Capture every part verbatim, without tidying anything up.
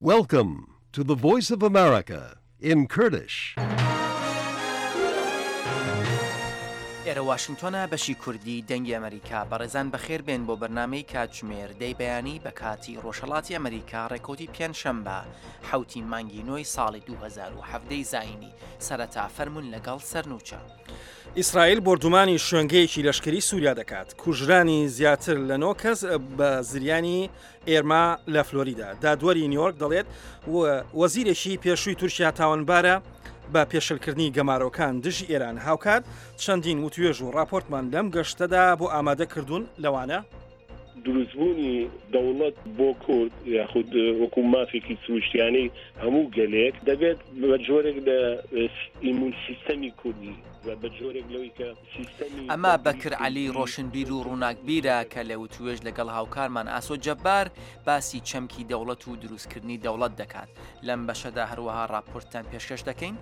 Welcome to the Voice of America in Kurdish. ئێرە واشنگتۆنە بەشی کوردی دەنگی ئەمریکا. بەڕێزان بەخێر بێن بۆ بەرنامەی کاتژمێر دەی بەیانی بە کاتی ڕۆژهەڵاتی ئەمریکا، ڕێکەوتی پێنجشەمبە حەوتی مانگی نۆی ساڵی دوو هەزار و حەڤدە ی زایینی. سەرەتا فەرموون لەگەڵ سەرنوچە. ئیسرائیل بۆردومانی شوێنگەیەکی لەشکری سووریا دەکات. کوژرانی زیاتر لە نۆ کەس بە زریانی ئێرما لە فلۆریدا. دادوەری نیویۆرک دەڵێت وەزیرێکی پێشووی تورکیا تاوانبارە بە پێشلکردنی گەمارۆکان دژی ئێران. هاوکات چەندین وتوێژ و ڕاپۆرتمان لەم گەشتەدا بۆ ئامادەکردوون، لەوانە دروستبوونی دەوڵەت بۆ کورد یاخود وەکو مافێکی سروشتیانەی هەموو گەلێک دەبێت بە جۆرێک لە ئیمون سیستەمی کوردی بە جۆرێک لەوەی کە سیستەمی ئەمە بەکر عەلی ڕۆشنبیر و ڕووناکبیرە کە لە وتوێژ لەگەڵ هاوکارمان ئاسۆ جەبار باسی چەمکی دەوڵەت و دروستکردنی دەوڵەت دەکات. لەم بەشەدا هەروەها ڕاپۆرتتان پێشکەش دەکەین.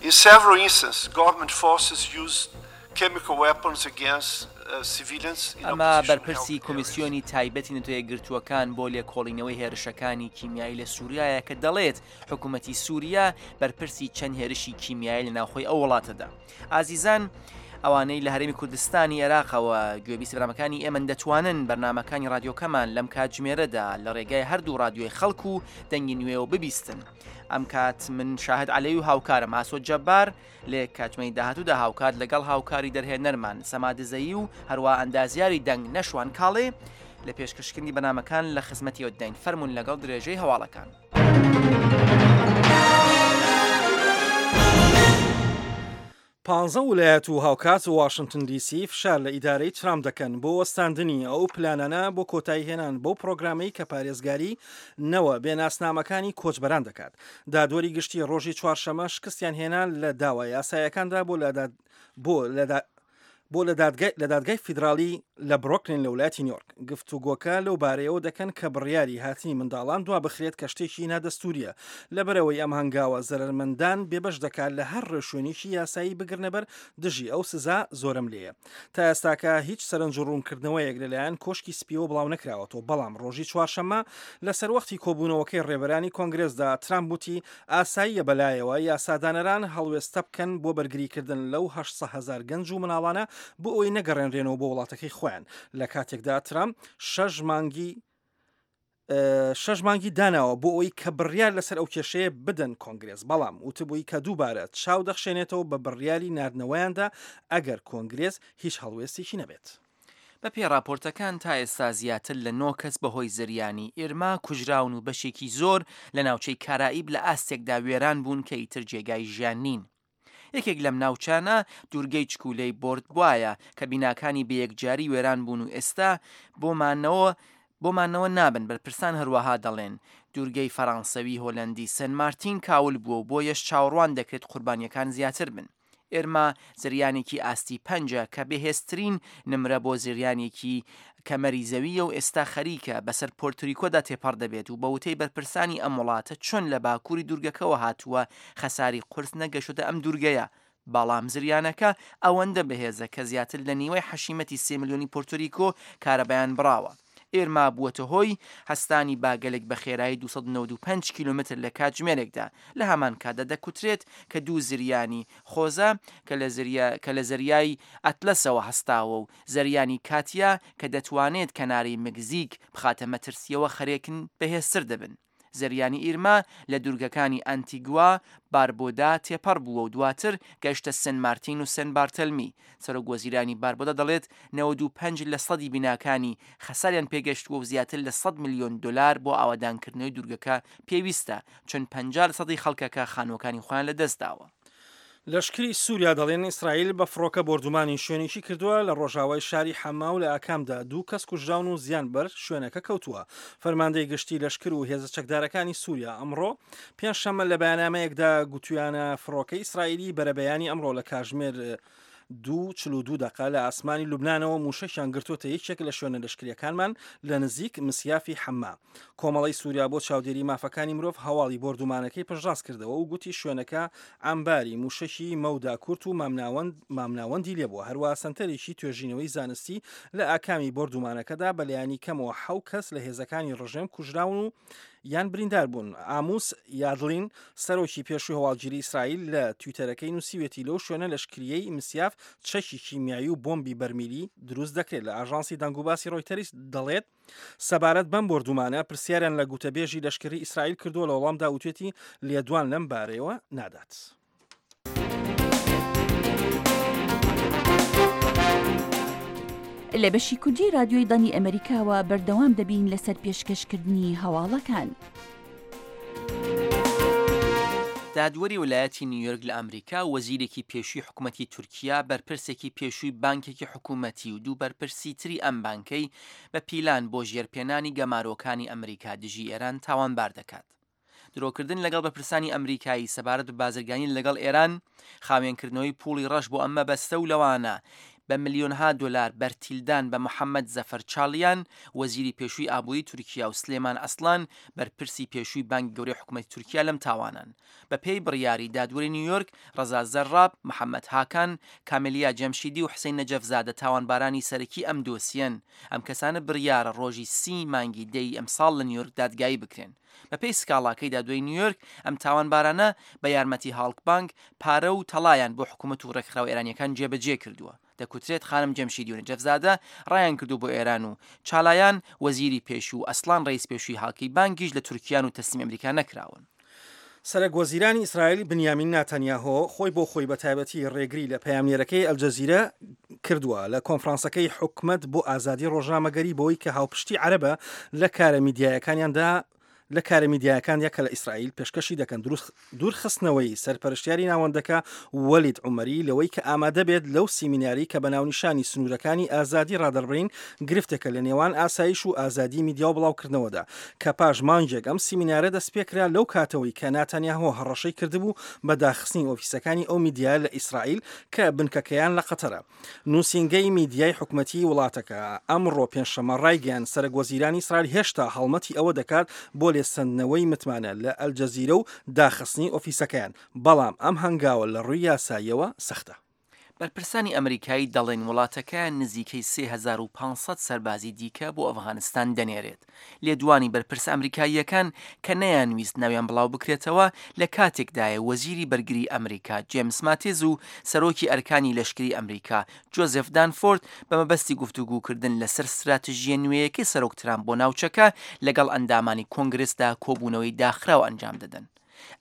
In several instances, government forces used chemical weapons against civilians in ئەمە opposition بەرپرسی held areas. کۆمیسیۆنی تایبەتی نەتەوەیەکگرتووەکان بۆ لێکۆڵینەوەی هێرشەکانی کیمیایی لە سووریایە کە دەڵێت حکوومەتی سووریا بەرپرسی چەند هێرشی کیمیایی لە ناوخۆی ئەو وڵاتەدا. ئازیزان، ئەوانەی لە هەرێمی کوردستانی عێراقەوە گوێبیستی بەرنامەکانی ئێمەن دەتوانن بەرنامەکانی رادیۆکەمان لەم کاتژمێرەدا لە ڕێگای هەردوو رادیۆی خەڵک و دەنگی نوێەوە ببیستن. ئەم کات من شاهد عەلەوی و هاوکارم ئاسۆ جەبار لێ کاتژمێری داهاتوودا هاوکات لەگەڵ هاوکاری دەرهێنەرمان سەما دزەیی و هەروە ئەندازیاری دەنگ نەشوان کاڵێ لە پێشکەشکردنی بەرنامەکان لە خزمەتی ئەوداین. فەرمونون لەگەڵ درێژەی هەواڵەکان. پانزە ولایەت و هاوکات واشنگتن دیسی فشار لە ئیدارەی ترامپ دەکەن بۆ وەستاندنی ئەو پلانانە بۆ کۆتایی هێنان بەو پرۆگرامەی کە پارێزگاری نەوە بێناسنامەکانی کۆچبەران دەکات. دادوەری گشتی ڕۆژی چوارشەمە شکستیان هێنا لە داوا یاسایەکاندا بۆ لە بۆ لە بۆ لە دادگای فیدراڵی لە برۆکلین لە ولایەتی نیویۆرک. گفتوگۆکە لەو بارەیەوە دەکەن کە بڕیاری هاتنی منداڵان دوا بخرێت کە شتێکی نادەستوریە، لەبەرەوەی ئەم هەنگاوە زەرەرمەندان بێبەش دەکات لە هەر ڕێوشوێنێکی یاسایی بگرنەبەر دژی ئەو سزا زۆرەملێیە. تا ئێستاکە هیچ سەرنج و ڕوونکردنەوەیەک لەلایەن کۆشکی سپیەوە بڵاو نەکراوەتەوە، بەڵام ڕۆژی چوارشەممە لەسەر وەختی کۆبوونەوەکەی ڕێبەرانی کۆنگرێسدا ترامپ وتی ئاساییە بەلایەوە یاسادانەران هەڵوێستە بکەن بۆ بەرگریکردن لەو هەشت سەد هەزار گەنج و مناڵانە بۆ ئەوەی نەگەڕێنرێنەوە بۆ وڵاتەکەی خۆیان. لە کاتێکدا ترامپ شەش مانگی شەش مانگی داناوە بۆ ئەوەی کە بڕیار لەسەر ئەو کێشەیە بدەن کۆنگرێس، بەڵام وتبووی کە دووبارە چاو دەخشێنێتەوە بە بڕیاری ناردنەوەیاندا ئەگەر کۆنگرێس هیچ هەڵوێستێکی نەبێت. بە پێی راپۆرتەکان تا ئێستا زیاتر لە نۆ کەس بەهۆی زریانی ئیرما کوژراون و بەشێکی زۆر لە ناوچەی کارائیب لە ئاستێکدا وێران بوون کە ئیتر جێگای ژیان نین. یەکێک لەم ناوچانە دوورگەی چکولەی بۆردبوایە کە بیناکانی بەیەکجاری وێران بوون و ئێستا بۆمانەوە بۆمانەوە نابن. بەرپرسان هەروەها دەڵێن دوورگەی فەرانسەوی هۆلەندی سن مارتین کاول بووە و بۆیەش چاوەڕوان دەکرێت قوربانیەکان زیاتر بن. ئێرما زریانێکی ئاستی پەنجە کە بەهێزترین نمرە بۆ زریانێکی کەمەری زەویە و ئێستا خەریکە بەسەر پۆرتریکۆدا تێپەڕ دەبێت و بەوتەی بەرپرسانی ئەم وڵاتە چۆن لە باکووری دوورگەکەوە هاتووە خەساری قورس نەگەشتە ئەم دوورگەیە، بەڵام زریانەکە ئەوەندە بەهێزە کە زیاتر لە نیوەی حەشیمەتی سێ ملیۆنی پۆرتۆریکۆ کارەبایان بڕاوە. ئێرما بووەتە هۆی هەستانی باگەلێک بە خێرایی دوو سەد و نەوەد و پێنج کیلۆمەتر لە کاتژمێرێکدا. لە هەمان کاتدا دەکوترێت کە دوو زریانی خۆزە کە لە زەریای ئەتلەسەوە هەستاوە و زریانی کاتیا کە دەتوانێت کەناری مەکزیک بخاتە مەترسیەوە خەرێکن بەهێزتر دەبن. زریانی ئیرما لە دوورگەکانی ئەنتیگوا باربۆدا تێپەڕ بووە و دواتر گەشتە سن مارتین و سن بارتەلمی. سەرۆک وەزیرانی باربۆدا دەڵێت نەوەد و پێنج لە سەدی بیناکانی خەساریان پێگەشتووە و زیاتر لە سەد ملیۆن دلار بۆ ئاوادانکردنەوەی دوورگەکە پێویستە، چون پەنجا لە سەدی خەڵکەکە خانووەکانی خۆیان لەدەستداوە. لەشکری سووریا دەڵێن ئیسرائیل بە فڕۆکە بۆردومانی شوێنێکی کردووە لە ڕۆژاوای شاری حەما و لە ئاکامدا دوو کەس کوژراون و زیان بەر شوێنەکە کەوتووە. فەرماندەی گشتی لەشکر و هێزە چەکدارەکانی سووریا ئەمڕۆ پێنجشەممە لە بەیاننامەیەکدا گوتویانە فڕۆکەی ئیسرائیلی بەرەبەیانی ئەمڕۆ لە کاژمێر دوو چل و دوو دقە لە ئاسمانی لوبنانەوە موشەکیان گرتووەتە یەکێک لە شوێنە لەشکریەکانمان لە نزیک مسیافی حەما. کۆمەڵی سووریا بۆ چاودێری مافەکانی مرۆڤ هەواڵی بۆردومانەکەی پشتڕاست کردەوە و گوتی شوێنەکە ئەمباری موشەکی مەودا کورت و مامناوەندی لێبووە. هەروە سەنتەرێکی توێژینەوەی زانستی لە ئاکامی بۆردومانەکەدا بەلایەنی کەمەوە حەو کەس لە هێزەکانی ڕژێم کوژراون و یان بریندار بوون. ئاموس یادلین، سەرۆکی پێشووی هەواڵگیری ئیسرائیل لە تویتەرەکەی نووسیوێتی لەو شوێنە لەشکریەی مسیاف چەکی کیمیایی و بۆمبی بەرمیلی دروست دەکرێت. لە ئاژانسی دەنگوباسی ڕۆیتەریس دەڵێت سەبارەت بەم بۆردومانە پرسیاریان لە گوتەبێژی لەشکری ئیسرائیل کردووە، لە وەڵامدا وتوێتی لێدوان لەم بارەیەوە نادات. لە بەشی کوردی رادیۆی دەنگی ئەمەریکاوە بەردەوام دەبین لەسەر پێشکەشکردنی هەواڵەکان. دادوەری ویلایەتی نیویۆرک لە ئەمریکا وەزیرێکی پێشووی حکوومەتی تورکیا، بەرپرسێکی پێشووی بانکێکی حکوومەتی و دوو بەرپرسی تری ئەم بانکەی بە پیلان بۆ ژێرپێنانی گەمارۆکانی ئەمریکا دژی ئێران تاوانبار دەکات. درۆکردن لەگەڵ بەرپرسانی ئەمریکایی سەبارەت بە بازرگانی لەگەڵ ئێران، خاوێنکردنەوەی پوڵی ڕەش بۆ ئەم مەبەستە و لەوانە بە ملیۆنها دۆلار بەرتیلدان بە محەممەد زەفەر چاڵیان، وەزیری پێشووی ئابووری تورکیا و سلێمان ئەسڵان، بەرپرسی پێشووی بانکی گەورەی حکوومەتی تورکیا لەم تاوانەن. بەپێی بڕیاری دادوەری نیویۆرک، ڕەزا زەراب، محەممەد هاکان، کامێلیا جەمشیدی و حسین نەجەفزادە تاوانبارانی سەرەکی ئەم دۆسیەن. ئەم کەسانە بڕیارە ڕۆژی سی مانگی دەی ئەمساڵ لە نیویۆرک دادگایی بکرێن. بەپێی سکاڵاکەی دادوەری نیویۆرک، ئەم تاوانبارانە بە یارمەتی هاڵک بانک پارە و تەڵایان بۆ حکوومەت و ڕێکخراوە ئێرانیەکان جێبەجێ کردووە. دەکوترێت خانم جەمشیدی و نەجەفزادە ڕایان کردو بۆ ئێران و چالایان وەزیری پێشوو و ئەسڵان ڕئیس پێشووی هاڵکی بانکیش لە تورکیان و تەسلیم ئەمریکا نەکراون. سەرەک وەزیرانی ئیسرائیل بنیامین ناتانیاهۆ خۆی بۆ خۆی بە تایبەتی ڕێگری لە پەیامنێرەکەی ئەلجەزیرە کردووە لە کۆنفرانسەکەی حکومەت بۆ ئازادی ڕۆژنامەگەری بۆی کە هاوپشتی عەرەبە لە کارە میدیایەکانیاندا لە کارە میدیایەکاندا کە لە ئیسرائیل پێشکەشی دەکەن. دوورخستنەوەی سەرپەرشتیاری ناوەندەکە وەلید عومەری لەوەی کە ئامادە بێت لەو سیمیناری کە بە ناونیشانی سنوورەکانی ئازادی ڕادەربڕین گرفتێکە لە نێوان ئاسایش و ئازادی میدیا و بڵاوکردنەوەدا کە پاش مانگێک ئەم سیمینارە دەستپێکرا لەو کاتەوەی کە ناتانیاهۆ هەڕەشەی کردبوو بە داخستنی ئۆفیسەکانی ئەو میدیا لە ئیسرائیل کە بنکەکەیان لە قەتەرە. نووسینگەی میدیای حکومەتی وڵاتەکە ئەمڕۆ پێنجشەممە ڕایگەیاند سەرەک وەزیرانی ئیسرائیل هێشتا هەڵمەتی ئەوە دەکات بۆ لێسەندنەوەی متمانە لە ئەلجەزیرە و داخستنی ئۆفیسەکەیان، بەڵام ئەم هەنگاوە لە ڕووی یاساییەوە سەختە. بەرپرسانی ئەمریکایی دەڵێن وڵاتەکەیان نزیکەی سێ هەزار و پێنج سەد سەربازی دیکە بۆ ئەفغانستان دەنێرێت. لێدوانی بەرپرسە ئەمریکاییەکان کە نەیانویست ناویان بڵاو بکرێتەوە لە کاتێکدایە وەزیری بەرگری ئەمریکا جێمس ماتیز و سەرۆکی ئەرکانی لەشکری ئەمریکا جۆزێف دانفۆرد بە مەبەستی گفتوگوکردن لەسەر ستراتیژیە نوێیەکەی سەرۆک ترامپ بۆ ناوچەکە لەگەڵ ئەندامانی کۆنگرسدا کۆبوونەوەی داخراو ئەنجام دەدەن.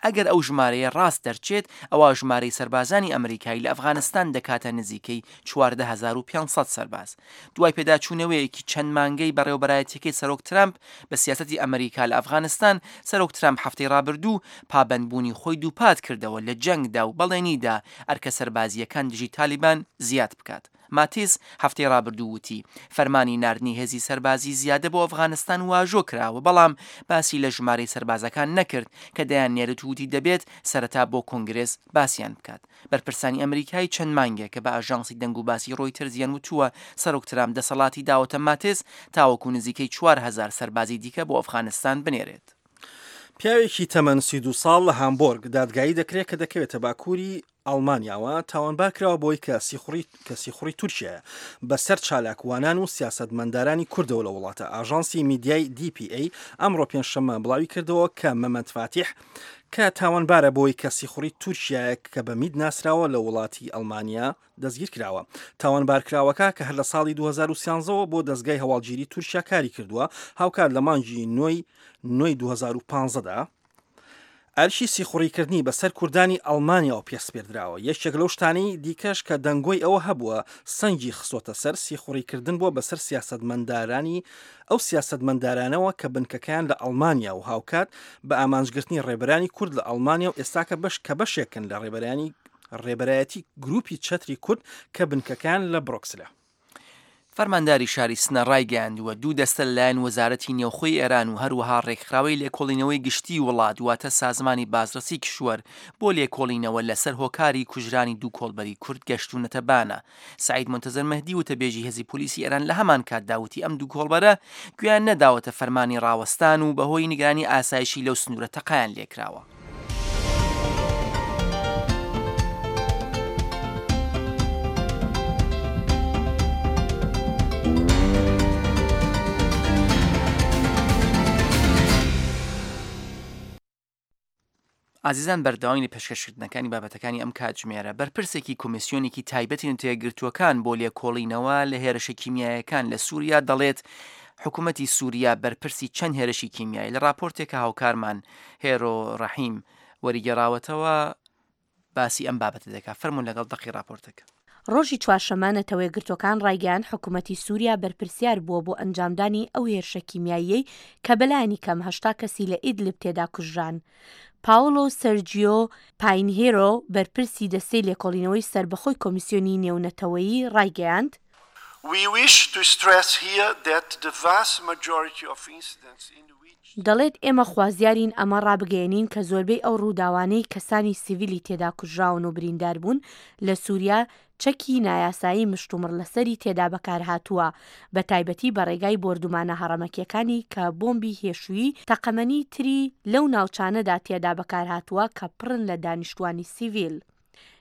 ئەگەر ئەو ژمارەیە ڕاست دەرچێت، ئەوا ژمارەی سەربازانی ئەمریکایی لە ئەفغانستان دەکاتە نزیکەی چواردە هەزار و پێنج سەد سەرباز. دوای پێداچوونەوەیەکی چەند مانگەی بەڕێوەبەرایەتیەکەی سەرۆک ترامپ بە سیاسەتی ئەمریکا لە ئەفغانستان، سەرۆک ترامپ هەفتەی ڕابردوو پابەندبوونی خۆی دووپات کردەوە لە جەنگدا و بەڵێنیدا ئەرکە سەربازییەکان دژی تالیبان زیاد بکات. ماتیس هەفتەی ڕابردوو وتی، فەرمانی ناردنی هێزی سەربازی زیادە بۆ ئەفغانستان واژۆ کراوە، بەڵام باسی لە ژمارەی سەربازەکان نەکرد کە دەیاننێرێت و وتی دەبێت سەرەتا بۆ کۆنگرێس باسیان بکات. بەرپرسانی ئەمریکایی چەند مانگێکە بە ئاژانسی دەنگوباسی ڕۆیتەرزیان وتووە سەرۆک ترامپ دەسەڵاتی داوەتە ماتیس تاوەکو نزیکەی چوار هەزار سەربازی دیکە بۆ ئەفغانستان بنێرێت. پیاوێکی تەمەن سی و دوو ساڵ لە هامبۆرگ دادگایی دەکرێت کە دەکەوێتە باکووری ئەڵمانیاوە تاوانبار کراوە بۆی کە سیخوڕی کە سیخوڕی تورکیایە بەسەر چالاکوانان و سیاسەتمەندارانی کوردەوە لە وڵاتە. ئاژانسی میدیای دی پی ئەی ئەمڕۆ پێنجشەممە بڵاوی کردەوە کە مەمەد فاتیح کە تاوانبارە بۆی کە سیخوڕی تورکیایە کە بە میت ناسراوە لە وڵاتی ئەڵمانیا دەستگیر کراوە. تاوانبارکراوەکە کە هەر لە ساڵی دوو هەزار و سیانزە وە بۆ دەزگای هەواڵگیری تورکیا کاری کردووە، هاوکات لە مانگی نۆی نۆی دوو هەزار و پازدە دا ئەرکی سیخوڕیکردنی بەسەر کوردانی ئەڵمانیاوە پێسپێردراوە. یەکێک لەو شتانەی دیکەش کە دەنگۆی ئەوە هەبووە سەنگی خستۆتە سەر سیخوڕیکردن بووە بەسەر سیاسەتمەندارانی ئەو سیاسەتمەندارانەوە کە بنکەکەیان لە ئەڵمانیا و هاوکات بە ئامانجگرتنی ڕێبەرانی کورد لە ئەڵمانیا و ئێستاکە بەش کە بەشێکن لە ڕێبەرانی ڕێبەرایەتی گروپی چەتری کورد کە بنکەکەیان لە برۆکسلە. فەرمانداری شاری سنە ڕایگەیاندووە، دوو دەستە لەلایەن وەزارەتی نێوخۆی ئێران و هەروەها ڕێکخراوەی لێکۆڵینەوەی گشتیی وڵات واتە سازمانی بازرەسی کشوەر بۆ لێکۆڵینەوە لەسەر هۆکاری کوژرانی دوو کۆڵبەری کورد گەشتوونەتە بانە. سەعید مونتەزر مەهدی وتەبێژی هێزی پۆلیسی ئێران لە هەمان کاتدا وتی ئەم دوو کۆڵبەرە گوێیان نەداوەتە فەرمانی ڕاوەستان و بەهۆی نیگەرانی ئاسایشی لەو سنوورە تەقەیان لێکراوە. ئازیزان بەردەوامی لە پێشکەشکردنەکانی بابەتەکانی ئەم کاتژمێرە. بەرپرسێکی کۆمیسیۆنێکی تایبەتی نەتەوەیەکگرتووەکان بۆ لێکۆڵینەوە لە هێرشە کیمیایەکان لە سووریا دەڵێت حکوومەتی سووریا بەرپرسی چەند هێرشی کیمیایی لە راپۆرتێک کە هاوکارمان هێرۆ ڕەحیم وەریگێڕاوەتەوە باسی ئەم بابەتە دەکات. فەرموون لەگەڵ دەقی راپۆرتەکە. ڕۆژی چوارشەممە نەتەوەیەکگرتووەکان ڕایگەیاند حکومەتی سوریا بەرپرسیار بووە بۆ ئەنجامدانی ئەو هێرشە کیمیاییەی کە بەلایەنی کەم هەشتا کەسی لە ئیدلب تێدا کوژران. پاوڵۆ سەرجیۆ پاینهێرۆ بەرپرسی دەستەی لێکۆڵینەوەی سەربەخۆی کۆمیسیۆنی نێونەتەوەیی ڕایگەیاند، We wish to stress here that the vast majority of incidents in which. دەڵێت ئێمە خوازیارین ئەمە ڕابگەیەنین کە زۆربەی ئەو ڕووداوانەی کەسانی سیڤیلی تێدا کوژراون و بریندار بوون لە سوریا چەکی نایاسایی مشتومڕلەسەری تێدا بەکارهاتووە بەتایبەتی بە ڕێگای بۆردومانە هەڕەمەکیەکانی کە بۆمبی هێشووی تەقەمەنی تری لەو ناوچانەدا تێدا بەکارهاتووە کە پڕن لە دانیشتوانی سیڤیل.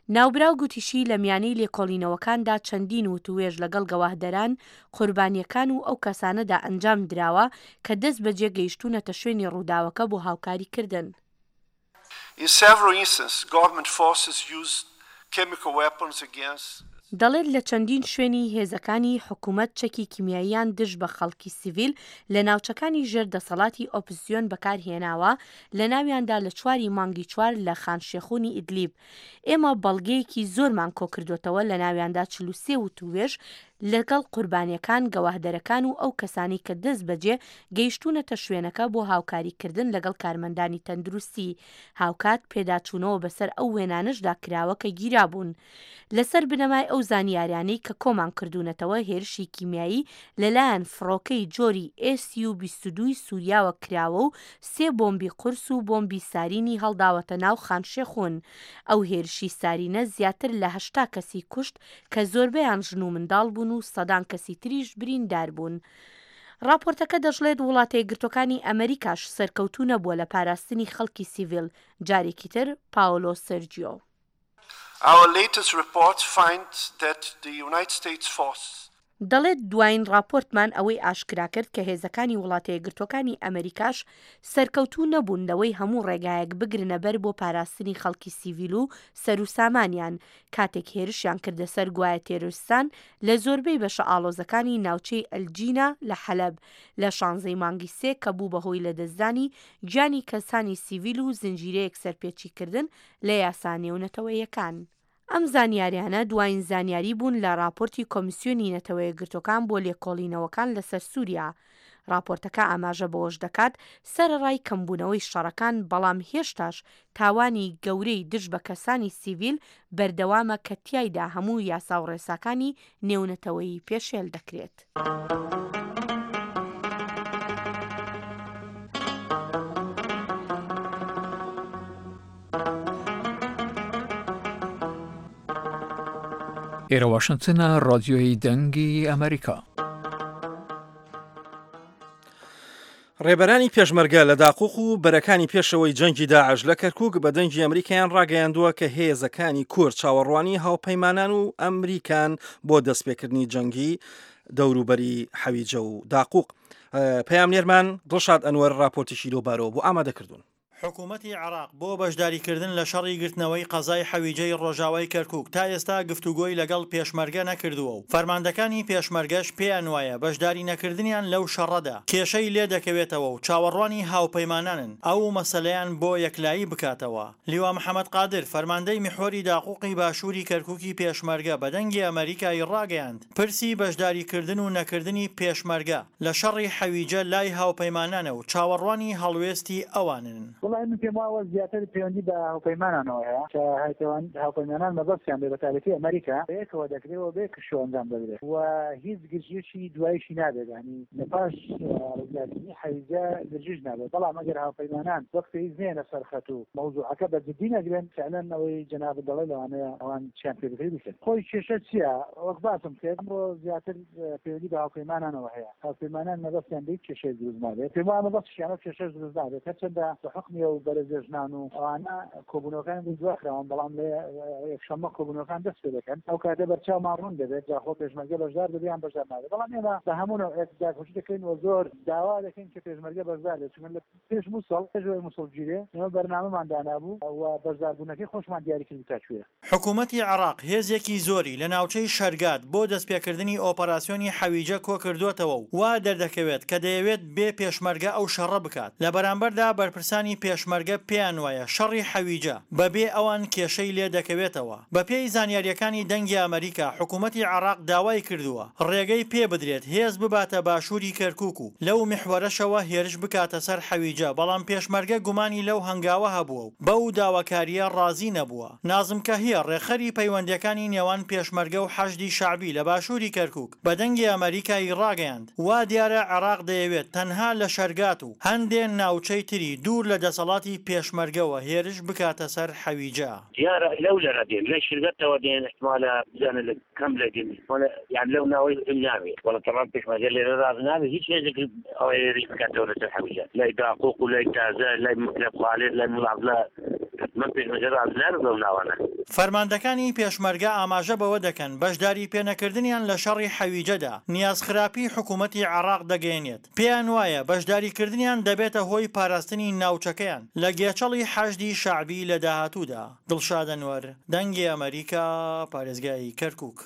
ناوبراو گوتیشی لە میانەی لێکۆڵینەوەکاندا چەندین وتووێژ لەگەڵ گەواهدەران، قوربانییەکان و ئەو کەسانەدا ئەنجام دراوە کە دەستبەجێ گەیشتوونەتە شوێنی ڕووداوەکە بۆ هاوکاریکردن. In several instances, government forces used chemical weapons against. دەڵێت لە چەندین شوێنی هێزەکانی حکومەت چەکی کیمیاییان دژ بە خەڵکی سیڤیل لە ناوچەکانی ژێر دەسەڵاتی ئۆپزسیۆن بەکارهێناوە، لەناویاندا لە چوار ی مانگی چوار لە خان شێخونی ئیدلیب. ئێمە بەڵگەیەکی زۆرمان کۆکردۆتەوە لەناویاندا چل و سێ وتووێژ لەگەڵ قوربانیەکان، گەواهدەرەکان و ئەو کەسانەی کە دەستبەجێ گەیشتوونەتە شوێنەکە بۆ هاوکاریکردن لەگەڵ کارمەندانی تەندروستی. هاوکات پێداچوونەوە بەسەر ئەو وێنانەشدا کراوە کە گیرابوون. لەسەر بنەمای ئەو زانیاریانەی کە کۆمان کردوونەتەوە هێرشی کیمیایی لەلایەن فڕۆکەی جۆری ئێس یو بیست و دوو ی سوریاوە کراوە و سێ بۆمبی قورس و بۆمبی سارینی هەڵداوەتە ناو خان شێخون. ئەو هێرشی سارینە زیاتر لە هەشتا کەسی کوشت کە زۆربەیان ژن و منداڵ بوون و سەدان کەسی تریش بریندار بوون. ڕاپۆرتەکە دەشڵێت وڵاتەیەکگرتووەکانی ئەمەریکاش سەرکەوتوو نەبووە لە پاراستنی خەڵکی سیڤیل، جارێکی تر پاۆلۆ سێرجیۆ. Our latest reports find that the United States forces. دەڵێت دواین ڕاپۆرتمان ئەوەی ئاشکرا کرد کە هێزەکانی وڵاتەیەکگرتووەکانی ئەمەریکاش سەرکەوتوو نەبوون لەوەی هەموو ڕێگایەک بگرنە بەر بۆ پاراستنی خەڵکی سیڤیل و سەروسامانیان کاتێک هێرشیان کردە سەر گوایە تێرۆریستان لە زۆربەی بەشە ئاڵۆزەکانی ناوچەی ئەلجینا لە حەلەب لە شانزەی مانگی سێ کە بوو بە هۆی لەدەستدانی گیانی کەسانی سیڤیل و زنجیرەیەک سەرپێچیکردن لە یاسا نێونەتەوەییەکان. ئەم زانیاریانە دواین زانیاری بوون لە ڕاپۆرتی کۆمیسیۆنی نەتەوەیەکگرتووەکان بۆ لێکۆڵینەوەکان لەسەر سووریا. ڕاپۆرتەکە ئاماژە بەوەش دەکات، سەرەڕای کەمبوونەوەی شەڕەکان، بەڵام هێشتاش تاوانی گەورەی دژ بە کەسانی سیڤیل بەردەوامە کە تیایدا هەموو یاسا و ڕێساکانی نێونەتەوەیی پێشێل دەکرێت. ئێرە واشنتنە، ڕادیۆی دەنگی ئەمریکا. ڕێبەرانی پێشمەرگە لە داقوق و بەرەکانی پێشەوەی جەنگی داعش لە کەرکوک بە دەنگی ئەمریکایان ڕاگەیاندووە کە هێزەکانی کورد چاوەڕوانی هاوپەیمانان و ئەمریکان بۆ دەستپێکردنی جەنگی دەوروبەری حەویجە و داقوق. پەیامنێرمان دڵشاد ئەنوەر ڕاپۆرتێکی لەوبارەوە بۆ ئامادەکردوون. حکومەتی عێراق بۆ بەشداریکردن لە شەڕی گرتنەوەی قەزای حەویجەی ڕۆژاوای کەرکوک تا ئێستا گفتوگۆی لەگەڵ پێشمەرگە نەکردووە و فەرماندەکانی پێشمەرگەش پێیان وایە بەشداری نەکردنیان لەو شەڕەدا کێشەی لێدەکەوێتەوە و چاوەڕوانی هاوپەیمانانن ئەو مەسەلەیان بۆ یەکلایی بکاتەوە. لیوا محەمەد قادر، فەرماندەی میحوەری داقوقی باشووری کەرکوکی پێشمەرگە بە دەنگی ئەمەریکای ڕاگەیاند، پرسی بەشداریکردن و نەکردنی پێشمەرگە لە شەڕی حەویجە لای هاوپەیمانانە و چاوەڕوانی هەڵوێستی ئەوانن. وەڵاهی من پێم واوە زیاتر پەیوەندی بە هاوپەیمانانەوە هەیە کە هاوپەیمانان مەبەستیان بێ بەتایبەتی ئەمەریکا بەیەکەوە دەکرێ و بەیەک شۆ ئەنجام دەدرێ و هیچ گرژیەکی دوایشی نابێت یانی لە پاش ڕزگارکردنی حەویجە گرژیش نابێت بەڵام ئەگەر هاوپەیمانان وەک پێویست نەیەنە سەر خەت و مەوزوعەکە بە جدی نەگرن فعلەن ئەوەی جەنابت دەڵێ لەوانەیە ئەوان چیان پێ بکرێ بیکەن. خۆی کێشە چیە وەک باسم کرد ئەمڕۆ زیاتر پەیوەندی بە هاوپەیمانانەوە هەیە هاوپەیمانان مەبەستیان بێ هیچ کێشەیەک دروست نابێت پێم وایە مەبەستیشیانە کێشەش دروست نابێت هەرچەندە بە حوکمی هاتنی ئەو بەرێزە ژنان و ئەوانە کۆبوونەوەکان بۆ دواخراون، بەڵام لە یەکشەممە کۆبوونەوەکان دەست پێ دەکەن، ئەو کاتە بەرچاومان ڕوون دەبێت جاخۆ پێشمەرگە بەشدار دەبێت یان بەشدار نابێت، بەڵام ئێمە بە هەموو نەوعێک داکۆکی دەکەین و زۆر داوا دەکەین کە پێشمەرگە بەشدار بێت، چونکە لە پێش موسڵ، پێش ئەوەی موسڵ بگیرێ ئێمە بەرنامەمان دانابوو و بەشداربوونەکەی خۆشمان دیاری کردبوو تا کوێیە. حکومەتی عێراق هێزێکی زۆری لە ناوچەی شەرگات بۆ دەستپێکردنی ئۆپەراسیۆنی حەویجە کۆکردۆتەوە و وا دەردەکەوێت کە دەیەوێت بێ پێشمەرگە ئەو شەڕە بکات، لە بەرامبەردا بەرپرسانی پێشمەرگە پێیانوایە شەڕی حەویجە بەبێ ئەوان کێشەی لێدەکەوێتەوە. بەپێی زانیارییەکانی دەنگی ئەمەریکا، حکومەتی عێراق داوای کردووە ڕێگەی پێبدرێت هێز بباتە باشووری کەرکوک و لەو میحوەرەشەوە هێرش بکاتە سەر حەویجە، بەڵام پێشمەرگە گومانی لەو هەنگاوە هەبووە و بەو داواکارییە ڕازی نەبووە. نازم کەهیە، ڕێکخەری پەیوەندییەکانی نێوان پێشمەرگە و حەشدی شەعبی لە باشووری کەرکوک، بە دەنگی ئەمەریکای ڕاگەیاند، وا دیارە عێراق دەیەوێت تەنها لە شەرگات و هەندێ ناوچەی تری دوور لە دەسەڵاتی پێشمەرگەوە هێرش بکاتە سەر حەویجە. دیارە لەو لەرە دێن لای شرگەتەوە دێن احتمالە بزانە لە کەم لە دێن احتمالە یان لەو ناوەی نابێ وەڵا تەمام پێشمەرگە لێرە ڕاز نابێ هیچ هێزێک ئەوە هێرش بکاتەوە لەسەر حەویجە لای داقوق و لای تازە لای مکرەب خالد لای ملا عەبدوڵا حتمەن پێشمەرگە ڕاز نابێ بەو ناوانە. فەرماندەکانی پێشمەرگە ئاماژە بەوە دەکەن بەشداری پێنەکردنیان لە شەڕی حەویجەدا نیازخراپی حکوومەتی عێراق دەگەیەنێت، پێیان وایە بەشداریکردنیان دەبێتە هۆی پاراستنی ناوچەکەیان لە گێچەڵی حەشدی شەعبی لە داهاتوودا. دڵشاد ئەنوەر، دەنگی ئەمەریکا، پارێزگای کەرکوک.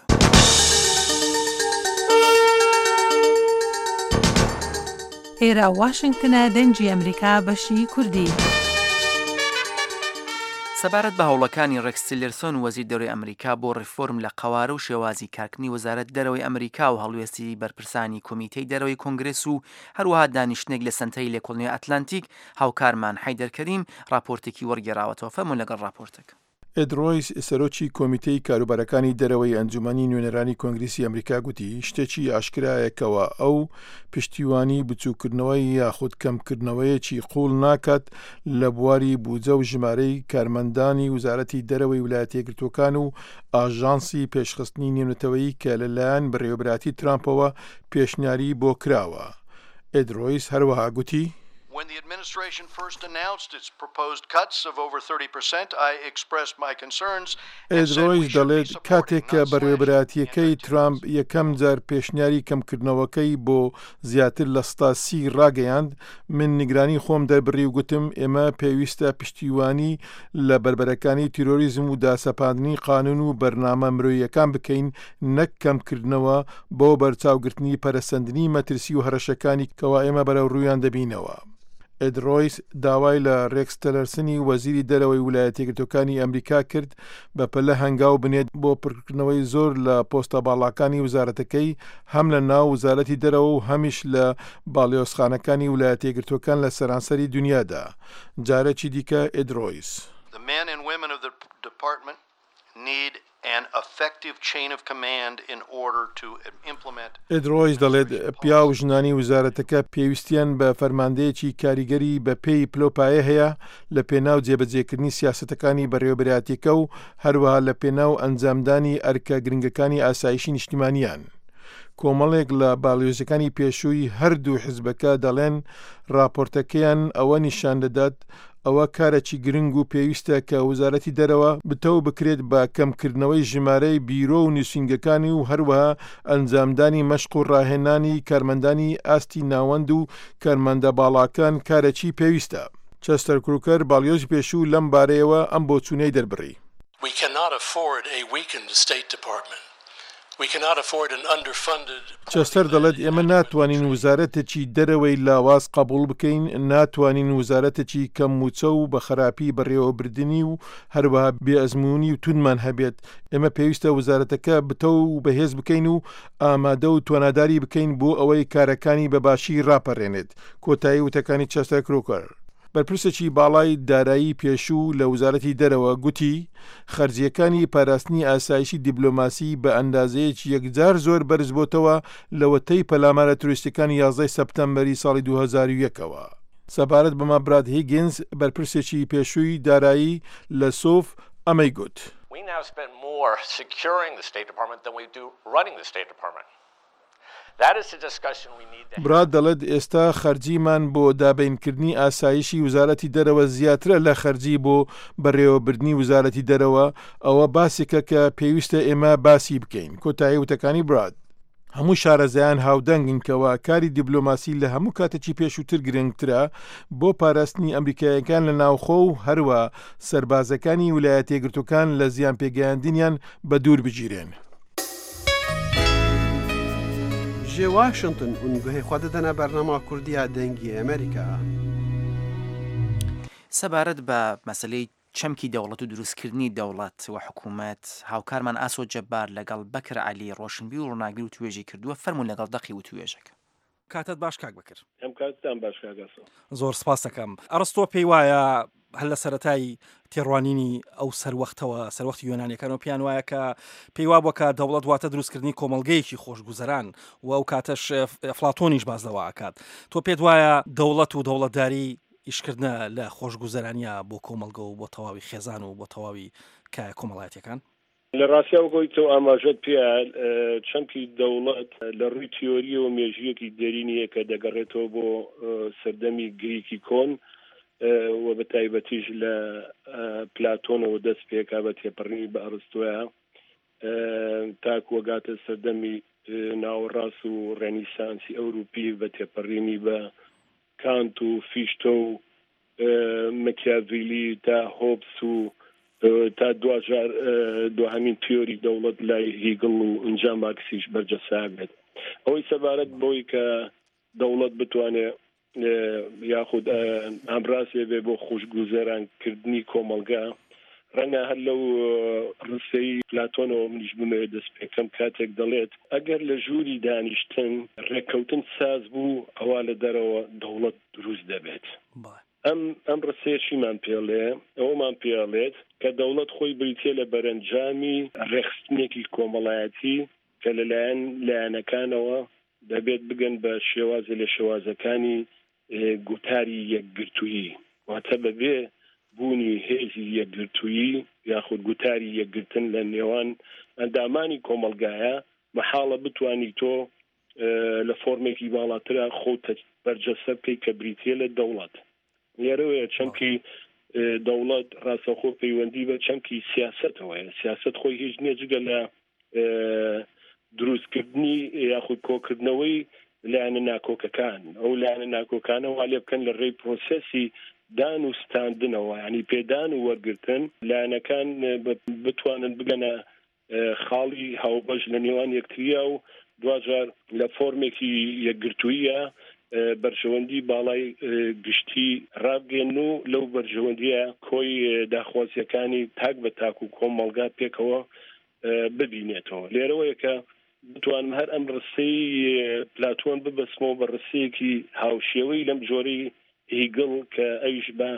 ئێرە واشنگتنە دەنگی ئەمریکا بەشی کوردی. سەبارەت بە هەوڵەکانی ڕێکس تیلێرسۆن وەزیر دەرەوەی ئەمریکا بۆ ڕیفۆرم لە قەوارە و شێوازی کارکردنی وەزارەت دەرەوەی ئەمریکا و هەڵوێستی بەرپرسانی کۆمیتەی دەرەوەی کۆنگرێس و هەروەها دانیشتنێک لە سەنتەری لێکۆڵینەوەی ئەتلانتیک هاوکارمان حەیدەر کەریم ڕاپۆرتێکی وەرگێڕاوەتەوە فەرموون لەگەڵ ڕاپۆرتەکە. ئێد ڕۆیس، سەرۆکی کۆمیتەی کاروبارەکانی دەرەوەی ئەنجومەنی نوێنەرانی کۆنگریسی ئەمریکا گوتی، شتێکی ئاشکرایە کەوا ئەو پشتیوانی بچووککردنەوەی یاخود کەمکردنەوەیەکی قووڵ ناکات لە بواری بوجە و ژمارەی کارمەندانی وزارەتی دەرەوەی ولایەتە یەکگرتووەکان و ئاژانسی پێشخستنی نێونەتەوەیی کە لەلایەن بەڕێوەبەرایەتی ترامپەوە پێشنیاری بۆ کراوە. ئێد ڕۆیس هەروەها گوتی. When the administration first announced its proposed cuts of over thirty percent, I expressed my concerns and ئێد said we ڕۆیس should be دەڵێت، supporting, کاتێک not کە slashing, بەڕێوەبەرایەتییەکەی ترامپ anti-terrorism. یەکەم جار پێشنیاری کەمکردنەوەکەی بۆ زیاتر لە سەدا سی ڕاگەیاند، من نیگرانی خۆم دەربڕی و گوتم ئێمە پێویستە پشتیوانی لە بەربەرەکانی تیرۆریزم و داسەپاندنی قانون و بەرنامە مرۆییەکان بکەین نەک کەمکردنەوە بۆ بەرچاوگرتنی پەرەسەندنی مەترسی و هەڕەشەکانی کەوا ئێمە بەرەوڕوویان دەبینەوە. ئێد ڕۆیس داوای لە ڕێکس تێلەرسنی وەزیری دەرەوەی ولایەتەیەکگرتووەکانی ئەمریکا کرد بەپەلە هەنگاو بنێت بۆ پڕکردنەوەی زۆر لە پۆستە باڵاکانی وزارەتەکەی هەم لە ناو وزارەتی دەرەوە و هەمیش لە باڵیۆزخانەکانی ولایەتەیەکگرتووەکان لە سەرانسەری دونیادا. جارێکی دیکە ئێد ڕۆیس. The men and women of the department need an effective chain of command in order to implement ئێد ڕۆیس دەڵێت، administration پیاو و policies. ژنانی وزارەتەکە پێویستیان بە فەرماندەیەکی کاریگەری بە پێی پلەوپایە هەیە لە پێناو جێبەجێکردنی سیاسەتەکانی بەڕێوەبەرایەتیەکە و هەروەها لە پێناو ئەنجامدانی ئەرکە گرنگەکانی ئاسایشی نیشتیمانیان. کۆمەڵێک لە باڵیۆزەکانی پێشووی هەردوو حزبەکە دەڵێن ڕاپۆرتەکەیان ئەوە نیشان دەدات ئەوە کارێکی گرنگ و پێویستە کە وزارەتی دەرەوە بتەو بکرێت بە کەمکردنەوەی ژمارەی بیرۆ و نووسینگەکانی و هەروەها ئەنجامدانی مەشق و ڕاهێنانی کارمەندانی ئاستی ناوەند و کارمەندە باڵاکان کارێکی پێویستە. چەستەر کروکەر باڵیۆزی پێشوو لەم بارەیەوە ئەم بۆچوونەی دەربڕی. We cannot afford a weakened State Department. چەستەر دەڵێت ئێمە ناتوانین وزارەتێکی دەرەوەی لاواز قبوڵ بکەین، ناتوانین وزارەتێکی کەم مووچە و بە خراپی بەڕێوەبردنی و هەروەها بێ ئەزموونی و توندمان هەبێت. ئێمە پێویستە وزارەتەکە بتەو و بەهێز بکەین و ئامادە و تواناداری بکەین بۆ ئەوەی کارەکانی بە باشی ڕاپەڕێنێت. کۆتایی وتەکانی چەستەر کرۆکەر. بەرپرسێکی باڵای دارایی پێشوو لە وزارەتی دەرەوە گوتی، خەرجییەکانی پاراستنی ئاسایشی دیبلۆماسی بە ئەندازەیەکی یەکجار زۆر بەرزبۆتەوە لەوەتەی پەلامارە ترۆریستیەکانی یازدە ی سەپتەمبەری ساڵی دوو هەزار و یەک ەوە. سەبارەت بەمە براد هیگینز، بەرپرسێکی پێشووی دارایی لە سوف ئەمەی گوت. We now spend more securing the State Department than we do running the State Department. براد دەڵێت ئێستا خەرجیمان بۆ دابینکردنی ئاسایشی وزارەتی دەرەوە زیاترە لە خەرجی بۆ بەڕێوەبردنی وزارەتی دەرەوە، ئەوە باسێکە کە پێویستە ئێمە باسی بکەین. کۆتایی وتەکانی براد. هەموو شارەزایان هاودەنگن کەوا کاری دیبلۆماسی لە هەموو کاتێکی پێشووتر گرنگترە بۆ پاراستنی ئەمریکاییەکان لە ناوخۆ و هەروە سەربازەکانی ولایەتەیەکگرتووەکان لە زیان پێگەیاندنیان بە دوور بگیرێن. Ji Washington hûn guhê xwe didine bernama Kurdî ya Dengê Amerîka. سەبارەت بە مەسەلەی چەمکی دەوڵەت و دروستکردنی دەوڵەت و حکوومەت، هاوکارمان ئاسۆ جەبار لەگەڵ بەکر عەلی ڕۆشنبیر و ڕووناکبیر وتوێژی کردووە، فەرموون لەگەڵ دەقی وتوێژەکە. کاتت باش کاک بەکر. هەم کاتتان باش کاک ئاسۆ. زۆر سپاست دەکەم. ئەڕستۆ پێی وایە هەر لە سەرەتای تێڕوانینی ئەو سەروەختەوە، سەروەختی یۆنانیەکانەوە پێیان وایە کە پێی وابووە کە دەوڵەت واتە دروستکردنی کۆمەڵگەیەکی خۆشگوزەران و ئەو کاتەش ئەفلاتۆنیش باس لەوە ئەکات. تۆ پێت وایە دەوڵەت و دەوڵەتداری ئیشکردنە لە خۆشگوزەرانیە بۆ کۆمەڵگە و بۆ تەواوی خێزان و بۆ تەواوی کایە کۆمەڵایەتیەکان؟ لە ڕاستیا وەک ئەوەی تۆ ئاماژەت پێ چەمکی دەوڵەت لە ڕووی تیۆرییەوە مێژوویەکی دێرینی هەیە کە دەگەڕێتەوە بۆ سەردەمی گریکی کۆن و بە تایبەتیش لە پلاتۆنەوە دەست پێکا بە تێپەڕینی بە ئەڕستۆیا تاکو ئەگاتە سەردەمی ناوەڕاست و ڕێنیسانسی ئەوروپی بە تێپەڕینی بە کانت و فیشتۆ و مەکیاڤیلی تا هۆبس و تا دواجار دواهەمین تیۆری دەوڵەت لای هیگڵ و ئینجا مارکسیش بەرجەستا بێت. ئەوەی سەبارەت بەوەی کە دەوڵەت بتوانێ یاخود ئامرازێ بێ بۆ خۆشگوزەرانکردنی کۆمەڵگا، ڕەنگە هەر لەو ڕستەی پلاتۆنەوە منیش بمەوێت دەست پێکەم کاتێک دەڵێت ئەگەر لە ژووری دانیشتن ڕێککەوتن ساز بوو ئەوا لە دەرەوە دەوڵەت دروست دەبێت. ئەم ئەم ڕستەیە چیمان پێڵێ؟ ئەوەمان پێڵێت کە دەوڵەت خۆی بریتیە لە بەرەنجامی ڕێکخستنێکی کۆمەڵایەتی کە لەلایەن لایەنەکانەوە دەبێت بگەن بە شێوازێ لە شێوازەکانی گوتاری یەکگرتوویی، واتە بەبێ بوونی هێزی یەکگرتوویی یاخود گوتاری یەکگرتن لە نێوان ئەندامانی کۆمەڵگایە مەحاڵە بتوانی تۆ لە فۆرمێکی باڵاترا خۆت بەرجەستە بکەیت کە بریتیە لە دەوڵەت. لێرەوەیە چەمکی دەوڵەت ڕاستەوخۆ پەیوەندی بە چەمکی سیاسەتەوەیە. سیاسەت خۆی هیچ نییە جگە لە دروستکردنی یاخود کۆکردنەوەی لایەنە ناکۆکەکان، ئەو لایەنە ناکۆکانە وا لێ بکەن لە ڕێی پرۆسێسی دان و ستاندنەوە، یعنی پێدان و وەرگرتن، لایەنەکان بتوانن بگەنە خاڵی هاوبەش لە نێوان یەکتریا و دواجار لە فۆرمێکی یەکگرتوویە بەرژەوەندی باڵای گشتی ڕابگەن و لەو بەرژەوەندیە کۆی داخوازیەکانی تاک بە تاک و کۆمەڵگا پێکەوە ببینێتەوە. لێرەوەیە کە بتوانم هەر ئەم ڕستەی پلاتۆن ببەستمەوە بە ڕستەیەکی هاوشێوەی لەم جۆرەی هیگڵ کە ئەویش بە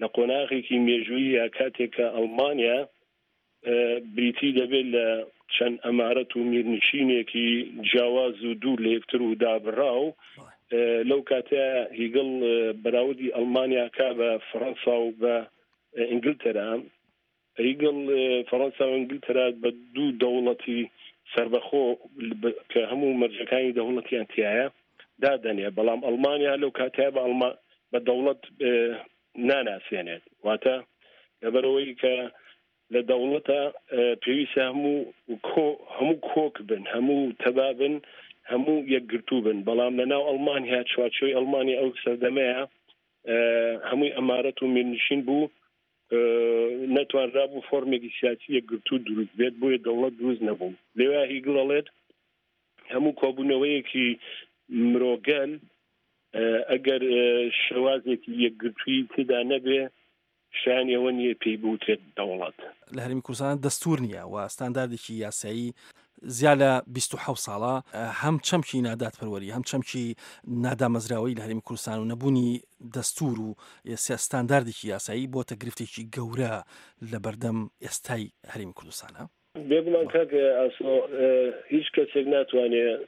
لە قۆناغێکی مێژوویی یا کاتێک کە ئەڵمانیا بریتی دەبێت لە چەند ئەمارەت و میرنشینێکی جیاواز و دوور لە یەکتر و دابڕاو، لەو کاتە هیگڵ بەراوردی ئەڵمانیا کا بە فەڕەنسا و بە ئینگلتەرا. هیگڵ فەڕەنسا و ئینگلتەرا بە دوو دەوڵەتی سربەخۆ کە هەموو مەرجەکانی دەوڵەتیان تایە دادەنێ، بەڵام ئەڵمانیا لەو کاتەیە بە ئەڵما بە دەوڵەت ناناسێنێت. واتە لەبەرەوەی کە لە دەوڵەتە پێویستە هەموو هەموو کۆک بن، هەموو تەبا بن، هەموو یەکگرتوو بن، بەڵام لە ناو ئەڵمانیا چوارچێوەی ئەڵمانیا ئەو سەردەمەیە هەمووی ئەمارەت و میرنشین بوو، نەتوانرا بوو فۆرمێکی سیاسی یەکگرتوو دروست بێت، بۆیە دەوڵەت دروست نەبوو. لێوە هیگڵ ئەڵێت هەموو کۆبوونەوەیەکی مرۆگەل ئەگەر شێوازێکی یەکگرتووی تێدا نەبێ شایانی ئەوە نییە پێی بوترێت دەوڵەت. لە هەرێمی کوردستان دەستور نییە و ستانداردێکی یاسایی زیاد لە بیست و حەوت ساڵە هەم چەمکی نادادپەروەری هەم چەمکی نادامەزراوەی لە هەرێمی کوردستان و نەبوونی دەستور و ستانداردێکی یاسایی بۆتە گرفتێکی گەورە لە بەردەم ئێستای هەرێمی کوردستانە. بێگومان کاک ئاسۆ هیچ کەسێک ناتوانێت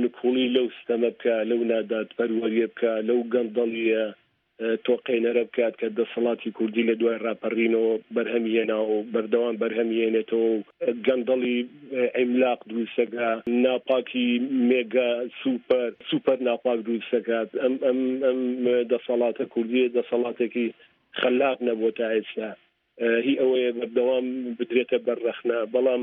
نکوڵی لەو ستەمە بکە، لەو نادادپەروەریە بکە، لەو گەندەڵیە تۆقێنەرە بکات کە دەسەڵاتی کوردی لە دوای ڕاپەڕینەوە بەرهەمی هێناوە و بەردەوام بەرهەمی هێنێتەوە و گەندەڵی عیملاق دروستەکە، ناپاکی مێگا سوپەر سوپەر ناپاک دروستەکات. ئەم ئەم ئەم دەسەڵاتە کوردیە دەسەڵاتێکی خەلاق نەبووە تا ئێستا، هی ئەوەیە بەردەوام بدرێتە بەر ڕەخنە، بەڵام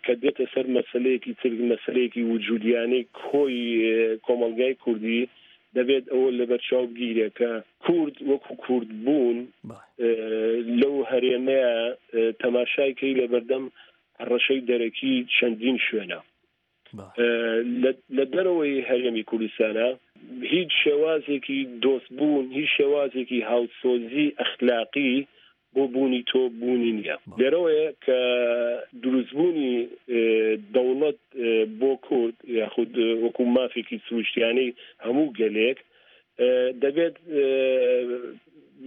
کە دێتە سەر مەسلەیەکی تر، مەسلەیەکی وجودیانەی کۆی کۆمەڵگای کوردی، دەبێت ئەوە لەبەرچاو بگیرێت کە کورد وەکو کورد بوون لەو هەرێمەیە تەماشای کەی لەبەردەم هەڕەشەی دەرەکی چەندین شوێنە. لە دەرەوەی هەرێمی کوردستانە هیچ شێوازێکی دۆستبوون، هیچ شێوازێکی هاوسۆزی ئەخلاقی بۆ بوونی تۆ بوونی نییە. لێرەوەیە کە دروستبوونی دەوڵەت بۆ کورد یاخود وەکو مافێکی سروشتیانەی هەموو گەلێک دەبێت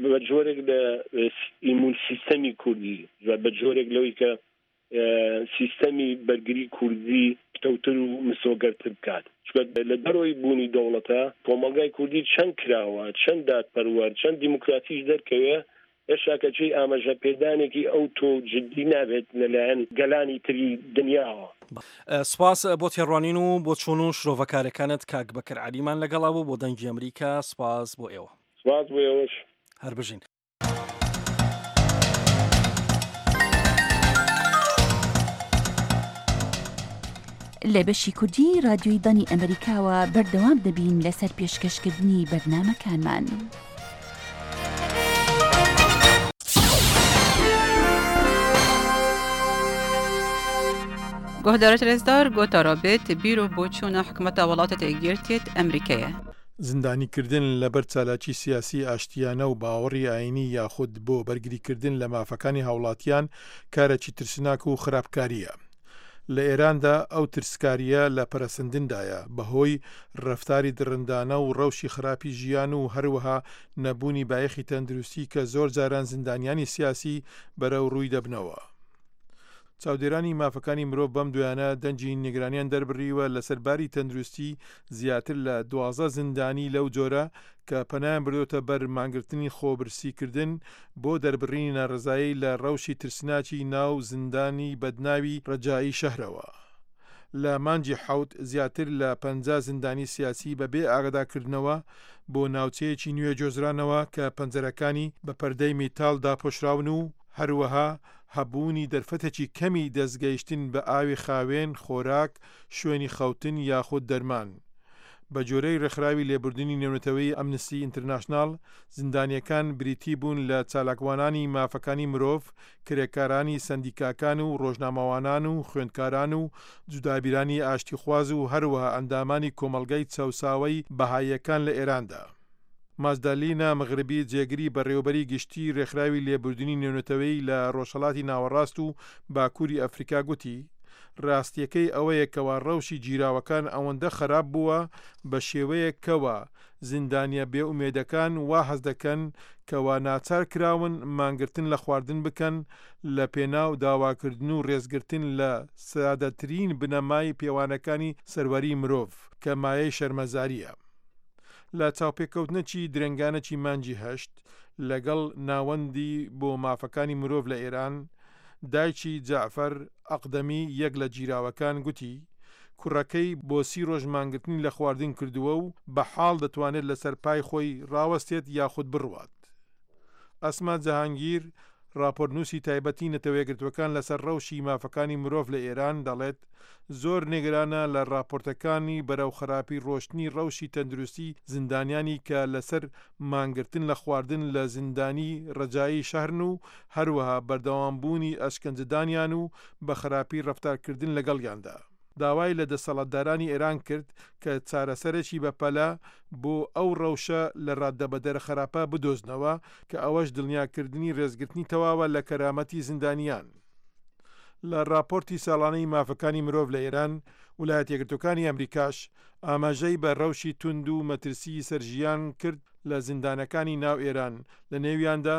بە جۆرێک لە ئیمون سیستەمی کوردی، بە جۆرێک لەوەی کە سیستەمی بەرگری کوردی پتەوتر و مسۆگەرتر بکات. چونکە لە دەرەوەی بوونی دەوڵەتە کۆمەڵگای کوردی چەند کراوە، چەند دادپەروەر، چەند دیموکراتیش دەرکەوێ، هێشتا کە چی ئاماژە پێدانێکی ئەو تۆ جدی نابێت لەلایەن گەلانی تری دنیاوە. سپاس بۆ تێڕوانین و بۆ چۆن و شرۆڤەکارەکانت کاک بەکر عەلیمان لەگەڵا بوو بۆ دەنگی ئەمریکا. سپاس بۆ ئێوە. سپاس بۆ ئێوەش. هەر بژین. لە بەشی کوردی رادیۆی دەنگی ئەمریکاوە بەردەوام دەبین لەسەر پێشکەشکردنی بەرنامەکانمان. گۆهدارت رێزدار گۆتارا بێت بیر و بۆچوونە حکومەتە وڵاتە یەکگرتیت ئەمریکایە. زیندانیکردن لەبەر چالاکی سیاسی ئاشتیانە و باوەڕی ئاینی یاخود بۆ بەرگریکردن لە مافەکانی هاوڵاتیان کارێکی ترسناک و خراپکاریە. لە ئێراندا ئەو ترسکاریە لە پەرەسەندندایە بەهۆی ڕەفتاری دڕندانە و ڕەوشی خراپی ژیان و هەروەها نەبوونی بایەخی تەندروستی کە زۆر جاران زیندانیانی سیاسی بەرەو ڕووی دەبنەوە. چاودێرانی مافەکانی مرۆڤ بەم دویانە دەنگی نیگەرانیان دەربڕیوە لەسەر باری تەندروستی زیاتر لە دوازدە زیندانی لەو جۆرە کە پەنایان بردۆتە بەر مانگرتنی خۆبرسیکردن بۆ دەربڕینی ناڕەزایی لە ڕەوشی ترسناکی ناو زیندانی بەدناوی ڕەجایی شەهرەوە. لە مانگی حەوت زیاتر لە پەنجا زیندانی سیاسی بەبێ ئاگادارکردنەوە بۆ ناوچەیەکی نوێ گۆزرانەوە کە پەنجەرەکانی بە پەردەی میتاڵ داپۆشراون و هەروەها هەبوونی دەرفەتێکی کەمی دەستگەیشتن بە ئاوی خاوێن، خۆراک، شوێنی خەوتن یاخود دەرمان. بە جۆرەی ڕێکخراوی لێبوردنی نێونەتەوەی ئەمنستی ئینتەرناشناڵ، زیندانیەکان بریتی بوون لە چالاکوانانی مافەکانی مرۆڤ، کرێکارانی سەندیکاکان و ڕۆژنامەوانان و خوێندکاران و جودابیرانی ئاشتیخواز و هەروەها ئەندامانی کۆمەڵگای چەوساوەی بەهاییەکان لە ئێراندا. ماجدالینا مغربی جێگری بەڕێوەبەری گشتی ڕێکخراوی لێبوردنی نێونەتەوەیی لە ڕۆژهەڵاتی ناوەڕاست و باکووری ئەفریکا گوتی، ڕاستیەکەی ئەوەیە کەوا ڕەوشی گیراوەکان ئەوەندە خراپ بووە بە شێوەیەک کەوا زیندانیە بێئومێدەکان وا هەست دەکەن کەوا ناچار کراون مانگرتن لە خواردن بکەن لە پێناو داواکردن و ڕێزگرتن لە سادەترین بنەمای پێوانەکانی سەروەری مرۆڤ کە مایەی شەرمەزاریە. لە چاوپێکەوتنەکی درەنگانەکی مانگی هەشت لەگەڵ ناوەندی بۆ مافەکانی مرۆڤ لە ئێران، دایکی جەعفەر ئەقدەمی یەک لە گیراوەکان گوتی، کوڕەکەی بۆ سی ڕۆژ مانگرتنی لە خواردن کردووە و بە حاڵ دەتوانێت لەسەر پای خۆی ڕاوەستێت یاخود بڕوات. ئەسما جەهانگیر، ڕاپۆرتنووسی تایبەتی نەتەوەیەکگرتووەکان لەسەر ڕەوشی مافەکانی مرۆڤ لە ئێران، دەڵێت زۆر نیگەرانە لە ڕاپۆرتەکانی بەرەو خراپی ڕۆشتنی ڕەوشی تەندروستی زیندانیانی کە لەسەر مانگرتن لە خواردن لە زیندانی ڕەجایی شەهرن و هەروەها بەردەوامبوونی ئەشکەنجەدانیان و بە خراپی ڕەفتارکردن لەگەڵیاندا. داوای لە دەسەڵاتدارانی ئێران کرد کە چارەسەرێکی بەپەلە بۆ ئەو ڕەوشە لە ڕادەبەدەرە خراپە بدۆزنەوە کە ئەوەش دڵنیاکردنی ڕێزگرتنی تەواوە لە کەرامەتی زیندانیان. لە ڕاپۆرتی ساڵانەی مافەکانی مرۆڤ لە ئێران، ولایەتە یەکگرتووەکانی ئەمریکاش ئاماژەی بە ڕەوشی توند و مەترسیی سەر ژیان کرد لە زیندانەکانی ناو ئێران، لە نێویاندا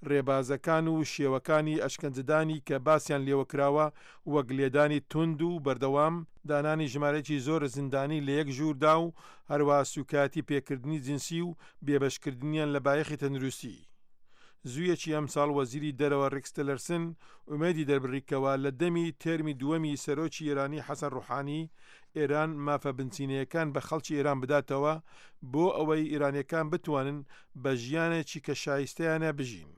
ڕێبازەکان و شێوەکانی ئەشکەنجەدانی کە باسیان لێوەکراوە وەک لێدانی توند و بەردەوام، دانانی ژمارەیەکی زۆر زیندانی لە یەک ژووردا و هەروەها سوکایەتی پێکردنی جنسی و بێبەشکردنیان لە بایەخی تەندروستی. زوویەکی ئەمساڵ وەزیری دەرەوە ڕێکس تیلەرسن ئومێدی دەربڕی کەوا لە دەمی تێرمی دووەمی سەرۆکی ئێرانی حەسەن ڕوحانی ئێران مافە بنچینەیەکان بە خەڵکی ئێران بداتەوە بۆ ئەوەی ئێرانیەکان بتوانن بە ژیانێکی کە شایستەیانە بژین.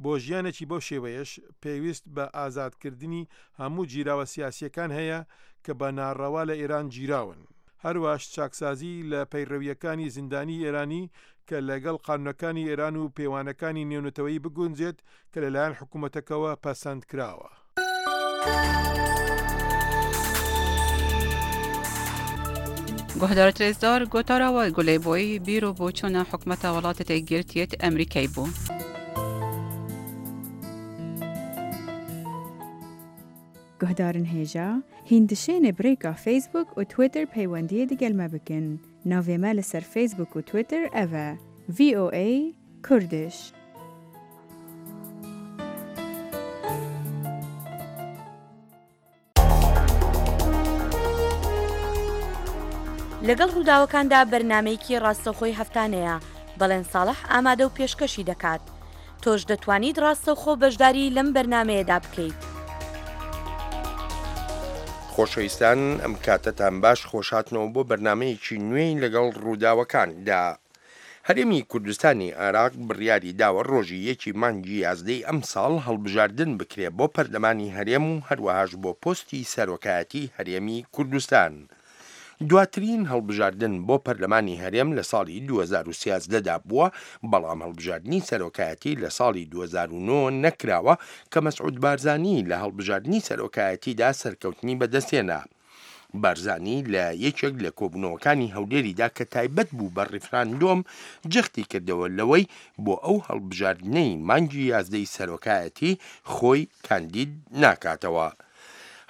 بۆ ژیانێکی بەو شێوەیەش پێویست بە ئازادکردنی هەموو گیراوە سیاسیەکان هەیە کە بە ناڕەوا لە ئێران گیراون. هەرواش چاکسازی لە پەیڕەویەکانی زیندانی ئێرانی کە لەگەڵ قانونەکانی ئێران و پێوانەکانی نێونەتەوەیی بگونجێت کە لەلایەن حکوومەتەکەوە پەسەند کراوە. گوهدارت رێزدار گۆتاراوە گولەی بۆی بیر و بۆچوونە حکومەتە وڵاتە یەکگرتیت ئەمریکای بوو. گوهدارن هێژا هیندشێنێ برێکا فەیسبوک و تویتر پەیوەندیە دگەل مە بکن. ناوێ مە لەسەر فەیسبوک و تویتر ئەوە ڤی ئۆ ئەی کوردش. لەگەڵ ڕووداوەکاندا بەرنمەیەکی ڕاستەوخۆی هەفتانەیە بەڵێن ساڵح ئامادە و پێشکەشی دەکات. تۆش دەتوانیت ڕاستەوخۆ بەشداری لەم بەرنمەیەدا بکەیت. خۆشەویستان ئەم کاتەتان باش، خۆشهاتنەوە بۆ بەرنمەیەکی نوێی لەگەڵ ڕووداوەکاندا. هەرێمی کوردستانی عێراق بڕیاری داوە ڕۆژی یەکی مانگی یازدەی ئەمساڵ هەڵبژاردن بکرێ بۆ پەرلەمانی هەرێم و هەروەهاش بۆ پۆستی سەرۆکایەتی هەرێمی کوردستان. دواترین هەڵبژاردن بۆ پەرلەمانی هەرێم لە ساڵی دوو هەزار و سیازدە دا بووە، بەڵام هەڵبژاردنی سەرۆکایەتی لە ساڵی دوو هەزار و نۆ نەکراوە کە مەسعود بارزانی لە هەڵبژاردنی سەرۆکایەتیدا سەرکەوتنی بەدەستهێنا. بارزانی لە یەکێک لە کۆبوونەوەکانی هەولێریدا کە تایبەت بوو بە ڕیفراندۆم جەختی کردەوە لەوەی بۆ ئەو هەڵبژاردنەی مانگی یازدەی سەرۆکایەتی خۆی کاندید ناکاتەوە.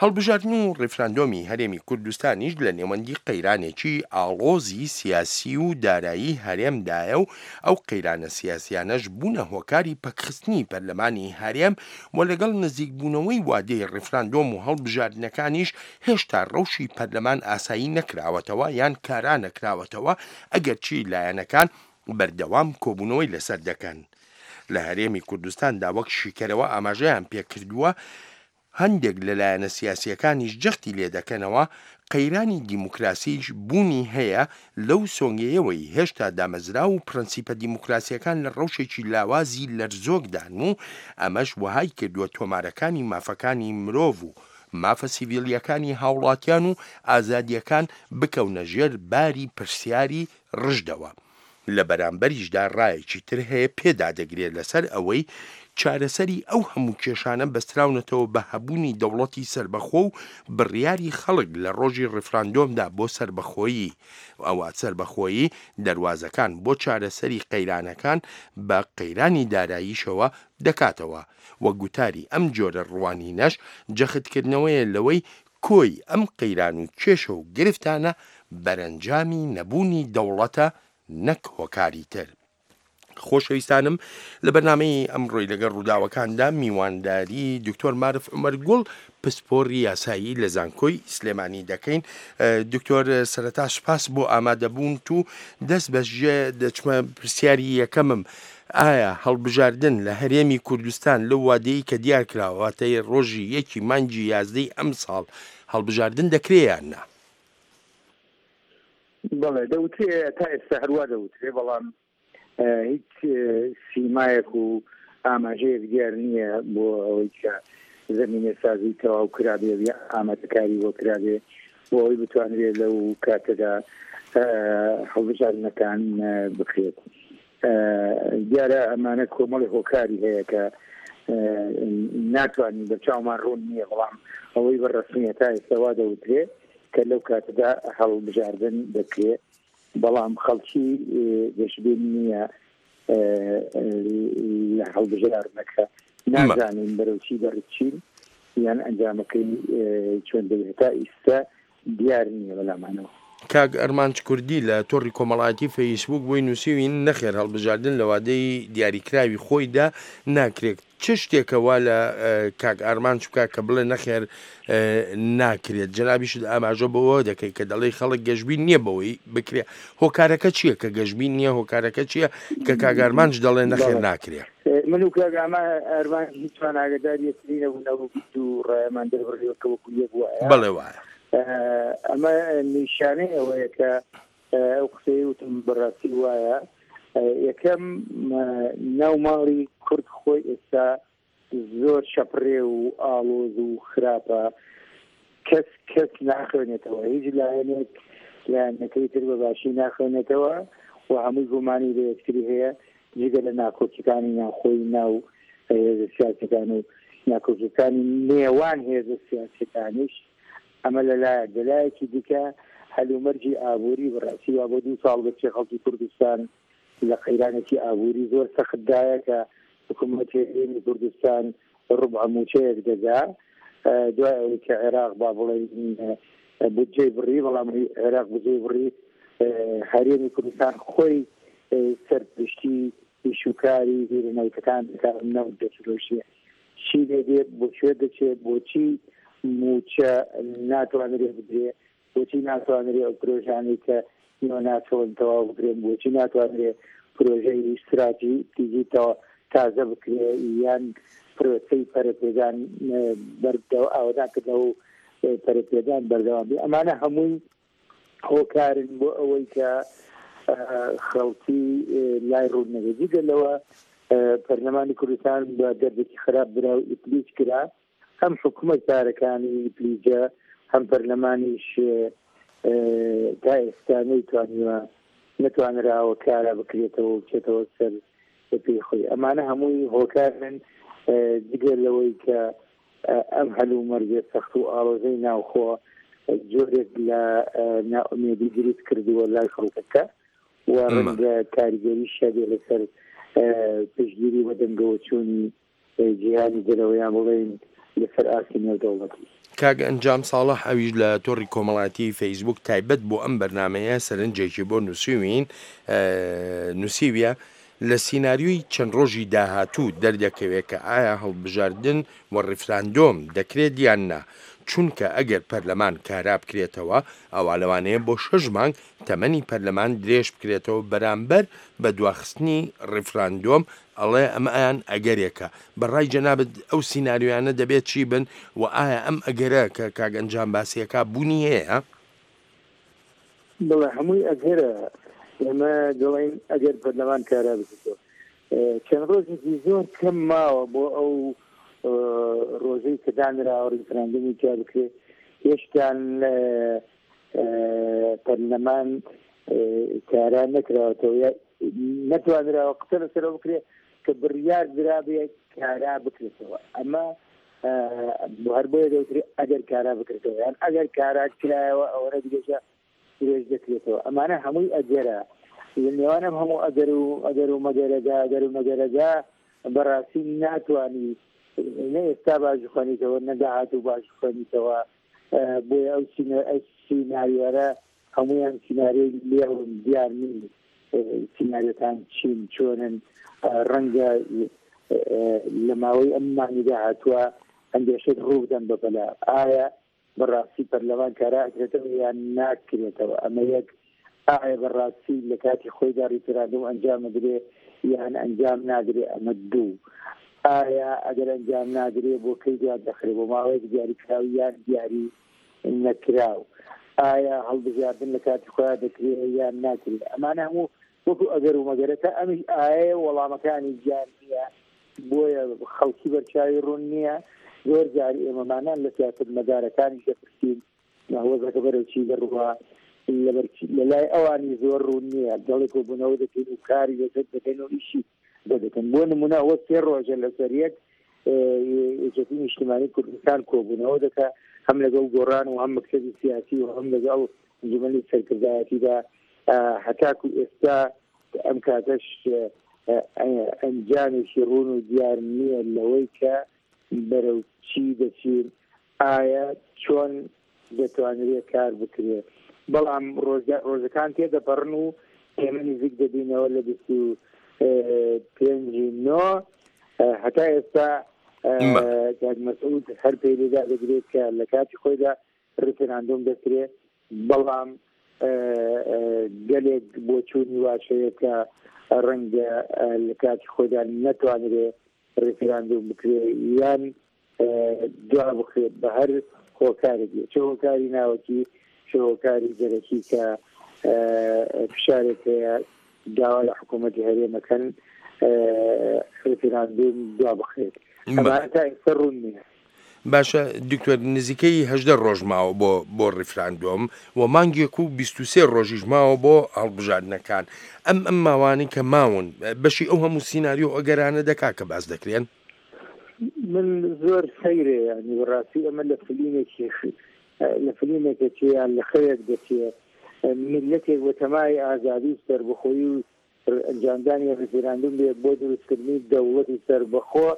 هەڵبژاردن و ڕیفراندۆمی هەرێمی کوردستانیش لە نێوەندی قەیرانێکی ئاڵۆزی سیاسی و دارایی هەرێمدایە و ئەو قەیرانە سیاسیانەش بوونە هۆکاری پەکخستنی پەرلەمانی هەرێم و لەگەڵ نزیکبوونەوەی وادەی ڕیفراندۆم و هەڵبژاردنەکانیش هێشتا ڕەوشی پەرلەمان ئاسایی نەکراوەتەوە یان کارا نەکراوەتەوە، ئەگەرچی لایەنەکان بەردەوام کۆبوونەوەی لەسەر دەکەن. لە هەرێمی کوردستاندا وەک شیکەرەوە ئاماژەیان پێکردووە، هەندێک لە لایەنە سیاسیەکانیش جەختی لێدەکەنەوە، قەیرانی دیموکراسیش بوونی هەیە لەو سۆنگەیەوەی هێشتا دامەزراو و پرەنسیپە دیموکراسیەکان لە ڕەوشێکی لاوازی لەرزۆکدان و ئەمەش وەهای کردووە تۆمارەکانی مافەکانی مرۆڤ و مافە سیڤیلیەکانی هاوڵاتیان و ئازادیەکان بکەونە ژێر باری پرسیاری ڕژدەوە. لە بەرامبەریشدا ڕایەکی تر هەیە پێدادەگرێت لەسەر ئەوەی چارەسەری ئەو هەموو کێشانە بەستراونەتەوە بە هەبوونی دەوڵەتی سەربەخۆ و بڕیاری خەڵک لە ڕۆژی ڕیفراندۆمدا بۆ سەربەخۆیی، ئەوە سەربەخۆیی دەروازەکان بۆ چارەسەری قەیرانەکان بە قەیرانی داراییشەوە دەکاتەوە. وە گوتاری ئەم جۆرە ڕوانینەش جەختکردنەوەیە لەوەی کۆی ئەم قەیران و کێشە و گرفتانە بەرەنجامی نەبوونی دەوڵەتە نەک هۆکاری تر. خۆشەویستانم لە بەرنامەی ئەمڕۆی لەگەڵ ڕووداوەکاندا میوانداری دکتۆر مارف عومەر گوڵ پسپۆڕی یاسایی لە زانکۆی سلێمانی دەکەین. دکتۆر سەرەتا سوپاس بۆ ئامادەبوونت و دەست بەژێ دەچمە پرسیاری یەکەمم. ئایا هەڵبژاردن لە هەرێمی کوردستان لەو وادەیە کە دیار کراوە واتە ڕۆژی یەکی مانگی یازدەی ئەمساڵ هەڵبژاردن دەکرێ یان نا؟ بەڵێ دەوترێ، تا ئێستا هەروە دەوترێ، بەڵام هیچ سیمایەک و ئاماژەیەک دیار نییە بۆ ئەوەی کە زمینە سازی تەواو کرابێ یا ئامادەکاری بۆ کرابێ بۆ ئەوەی بتوانرێت لەو کاتەدا هەڵبژاردنەکان بکرێت. دیارە ئەمانە کۆمەڵی هۆکاری هەیە کە ناتوانین بە چاومان ڕوون نییە، بەڵام ئەوەی بە ڕەسمیە تا ئێستا وا دەوترێ کە لەو کاتەدا هەڵبژاردن دەکرێت، بەڵام خەڵکی گەشبین نییە لە هەڵبژاردنەکە، نازانین بەرەو چی دەڕچین یان ئەنجامەکەی چۆن دەبێت، تا ئێستا دیار نییە بەلامانەوە. کاک ئەرمانج کوردی لە تۆڕی کۆمەڵایەتی فەیسبوک بۆی نووسیوین نەخێر هەڵبژاردن لە وادەی دیاریکراوی خۆیدا ناکرێت. چ شتێکە وا لە کاک ئارمانج بکات کە بڵێ نەخێر ناکرێت؟ جەنابیشت ئاماژە بەوە دەکەی کە دەڵێی خەڵک گەشبین نییە بەوەی بکرێت. هۆکارەکە چییە کە گەشبین نییە؟ هۆکارەکە چییە کە کاک ئارمانج دەڵێ نەخێر ناکرێت؟ من و کاک ئارمانج هیچمان ئاگادار یەکتری نەبوون، ئەو دوو ڕایەمان دەربڕیوە کە وەکو یەک وایە. بەڵێ وایە. ئەمە نیشانەی ئەوەیە کە ئەو قسەی وتم بەڕاستی وایە. یەکەم ناو ماڵی کورد خۆی ئێستا زۆر شەپڕێ و ئاڵۆز و خراپە، کەس کەس ناخوێنێتەوە، هیچ لایەنێک لایەنەکەی تر بە باشی ناخوێنێتەوە و هەمووی گومانی لە یەکتری هەیە، جگە لە ناکۆکیەکانی ناوخۆی ناو هێزە سیاسەکان و ناکۆکیەکانی نێوان هێزە سیاسەکانیش. ئەمە لەلایەک. لەلایەکی دیکە هەلومەرجی ئابووری بەڕاستی وا بۆ دوو ساڵ بچێ خەڵکی کوردستان لە قەیرانێکی ئابووری زۆر سەختدایە کە حکوومەتی هەرێمی کوردستان ڕوبع مووچەیەک دەدا دوای ئەوەی کە عێراق با بڵێین بودجەی بڕی، بەڵام عێراق بودجەی بڕی، هەرێمی کوردستان خۆی سەرپشتی ئیشوکاری بیرە نەوتەکان دەکات، نەوت دەفرۆشێ. چی لێ دێ، بۆ کوێ دەچێت، بۆچی مووچە ناتوانرێ بدرێ، بۆچی ناتوانرێ ئەو پرۆژانەی کە ناچۆن تەواو بکرێن، بۆچی ناتوانرێ پرۆژەی ئیستراتیژی تازە بکرێ یان پرۆسەی پەرەپێدان ئاوەدانکردنەوە و پەرەپێدان بەردەوام بێ. ئەمانە هەمووی هۆکارن بۆ ئەوەی کە خەڵکی لای ڕوون نەبێت. جگە لەوە پەرلەمانی کوردستان بە دەردێکی خراپ برا و ئیفلیج کرا، هەم حکوومەت پارەکانی ئیفلیجە، هەم پەرلەمانیش تا ئێستا نەیتوانیوە نەتوانراوە کارا بکرێتەوە و بچێتەوە سەر پێی خۆی. ئەمانە هەمووی هۆکارن جگە لەوەی کە ئەم هەلومەرجە سەخت و ئاڵۆزەی ناوخۆ جۆرێک لە نائومێدی دروست کردووە لای خەڵکەکە و ڕەنگە کاریگەریش هەبێ لەسەر پشتگیری و بەدەنگەوەچوونی جیهانی دەرەوەیان بڵێین لەسەر ئاستی نێودەوڵەتی. کاک ئەنجام ساڵح ئەویش لە تۆڕی کۆمەڵایەتی فەیسبوک تایبەت بۆ ئەم بەرنمەیە سەرنجێکی بۆ نووسیوین نووسیویە لە سیناریۆی چەند ڕۆژی داهاتوو دەردەکەوێت کە ئایا هەڵبژاردن و ڕیفراندۆم دەکرێت یان نا، چونکە ئەگەر پەرلەمان کارا بکرێتەوە ئەوا لەوانەیە بۆ شەش مانگ تەمەنی پەرلەمان درێژ بکرێتەوە بەرامبەر بە دواخستنی ڕیفراندۆم. ئەڵێ ئەمەیان ئەگەرێکە. بەڕای جەنابت ئەو سیناریۆیانە دەبێت چی بن و ئایا ئەم ئەگەرە کە کاک ئەنجام باسیەکە بوونی هەیە؟ بڵێ هەمووی ئەگەرە. ئێمە دەڵێین ئەگەر پەرلەمان کارا بکرێتەوە. چەند ڕۆژێکی زۆر کەم ماوە بۆ ئەو ڕۆژەی کە دانراوە ڕیفراندۆمی تیا بکرێت. هێشتان پەرلەمان کارا نەکراوەتەوە، نەتوانراوە قسە لەسەرەوە بکرێت کە بڕیار درابێت کارا بکرێتەوە. ئەمە هەر بۆیە دەوترێت ئەگەر کارا بکرێتەوە، یان ئەگەر کارا کرایەوە ئەوەنە درێژە درێژ دەکرێتەوە. ئەمانە هەمووی ئەگەرە. لە نێوان ئەم هەموو ئەگەر و ئەگەر و مەگەرەدا ئەگەر و مەگەرەدا بەڕاستی ناتوانی نە ئێستا باش بخوێنیتەوە نە داهاتوو باش بخوێنیتەوە. بۆیە ئەو سیناریۆرە هەمویان سیناریۆی لێڵن، دیار نین سیناریۆکان چین چۆنن. ڕەنگە لە ماوەی ئەم مانگی داهاتووە هەندێک شت ڕوو بدەن بەپەلە. ئایا بەڕاستی پەرلەمان کارا ئەکرێتەوە یان ناکرێتەوە؟ ئەمە یەک. ئایا بەڕاستی لە کاتی خۆیدا ڕیفراندۆم ئەنجام بدرێ یان ئەنجام نادرێ؟ ئەمە دوو. ئایا ئەگەر ئەنجام نادرێ بۆ کەی دوا دەخرێ؟ بۆ ماوەیەک دیاریکراو یان دیاری نەکراو؟ ئایا هەڵبژاردن لە کاتی خۆیان دەکرێ یان ناکرێ؟ ئەمانە هەموو وەکو ئەگەر و مەگەرە تا ئەمیش ئایا وەڵامەکانی دیار نییە، بۆیە خەڵکی بەرچاوی ڕوون نییە. زۆر جار ئێمەمانان لە سیاسەتمەدارەکانیش دەپرسین وەزعەکە بەرەو چی دەڕوا، لە لای ئەوانی زۆر ڕوون نییە. دەڵێ کۆبوونەوە دەکەین و کاری لەسەر دەکەین و ئیشی دەکەن. بۆ نمونە ئەوە سێ ڕۆژە لەسەر یەک یەکێتی نیشتمانی کوردستان کۆبوونەوە دەکا، هەم لەگەڵ گۆڕان و هەم مەکتەبی سیاسی و هەم لەگەڵ ئەنجومەنی سەرکردایەتیدا. هەتاکو ئێستا ئەم کاتەش ئەنجامێکی ڕوون و دیار نییە لەوەی کە بەرەو چی دەچین، ئایا چۆن دەتوانرێت کار بکرێت. بەڵام ڕۆژەکان تێدەپەڕن و ئێمە نزیک دەبینەوە لە بیست و پێنجی نۆ. هەتا ئێستا کاک مەسعود هەر پێی لێدا دەگرێت کە لە کاتی خۆیدا ڕیفراندۆم دەکرێت، بەڵام گەلێک بۆچوونی واش هەیە کە ڕەنگە لە کاتی خۆیدا نەتوانرێ ڕیفراندۆم بکرێ یان دوا بخرێت بە هەر هۆکارێک بێت، چ هۆکاری ناوەکی چ هۆکاری دەرەکی کە فشارێک هەیە داوا لە حکوومەتی هەرێمەکەن ڕیفراندۆم دوا بخرێت. ئەمانە تا ئێستا ڕوون نییە. باشە دکتۆر، نزیکەی هەژدە ڕۆژ ماوە بۆ بۆ ڕیفراندۆم و مانگێک و بیست و سێ ڕۆژیش ماوە بۆ هەڵبژاردنەکان. ئەم ئەم ماوانەی کە ماون بەشی ئەو هەموو سیناریۆ ئەگەرانە دەکا کە باس دەکرێن؟ من زۆر سەیرێ، ینی بەڕاستی ئەمە لە فلیمێکی لە فلیمێکە چێ یان لە خەوێک دەچێ. میللەتێک بە تەمای ئازادی و سەربەخۆیی و ئەنجامدانی ڕیفراندۆم بێ بۆ دروستکردنی دەوڵەتی سەربەخۆ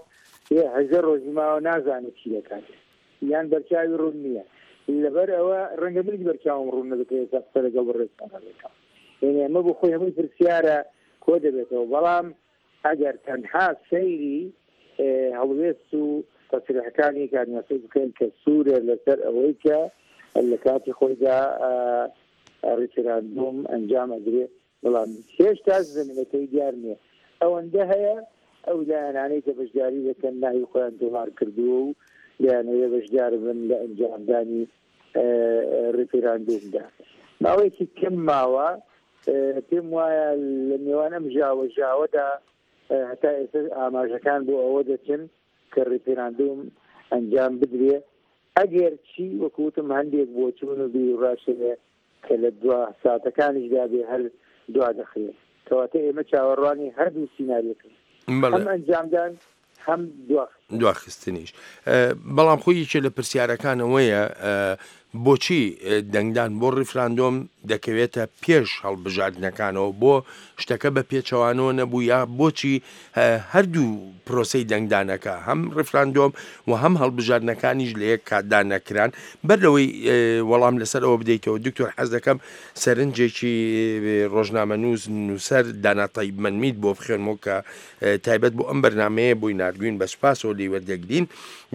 هەژدە ڕۆژی ماوە نازانێت چی دەکات یان بەرچاوی ڕوون نییە. لەبەر ئەوە ڕەنگە منیش بەرچاوم ڕوون نەبێت ئێستا قسە لەگەڵ بەڕێزتانە دەکەم، یعنی ئەمە بۆ خۆی هەمووی پرسیارە کۆ دەبێتەوە. بەڵام ئەگەر تەنها سەیری هەڵوێست و تەسریحەکانی کاک مەسعود بکەین کە سوورە لەسەر ئەوەی کە لە کاتی خۆیدا ڕیفراندۆم ئەنجام ئەدرێ، بەڵام هێشتا زمینەکەی دیار نییە. ئەوەندە هەیە ئەو لایەنانەی کە بەشداری دەکەن ناوی خۆیان تۆمار کردووە و لایەنەوەی بەشدار بن لە ئەنجامدانی ڕیفراندۆمدا. ماوەیەکی کەم ماوە، پێم وایە لە نێوان ئەم ژاوە ژاوەدا هەتا ئێستا ئاماژەکان بۆ ئەوە دەچن کە ڕیفراندۆم ئەنجام بدرێ، ئەگەر چی وەکوتم هەندێک بۆچوون و بیروڕاش هەیە کە لە دوا ساتەکانیشدا بێ هەر دوا دەخرێت. کەواتە ئێمە چاوەڕوانی هەردوو سیناریۆکەین، هەم ئەنجامدان هەم دواخستنیش. بەڵام خۆی یەکێ لە پرسیارەکانەوەیە بۆچی دەنگدان بۆ ڕیفراندۆم دەکەوێتە پێش هەڵبژاردنەکانەوە، بۆ شتەکە بە پێچەوانەوە نەبوو، یا بۆچی هەردوو پرۆسەی دەنگدانەکە هەم ڕیفراندۆم و هەم هەڵبژاردنەکانیش لە یەک کاتدا نەکران؟ بەر لەوەی وەڵام لەسەر ئەوە بدەیتەوە دکتۆر، حەز دەکەم سەرنجێکی ڕۆژنامەنووس نووسەر دانا تەیب مەنمیت بۆ بخوێنمەوە کە تایبەت بۆ ئەم بەرنامەیە بۆی ناردوین، بە سوپاسەوە لێی وەردەگرین.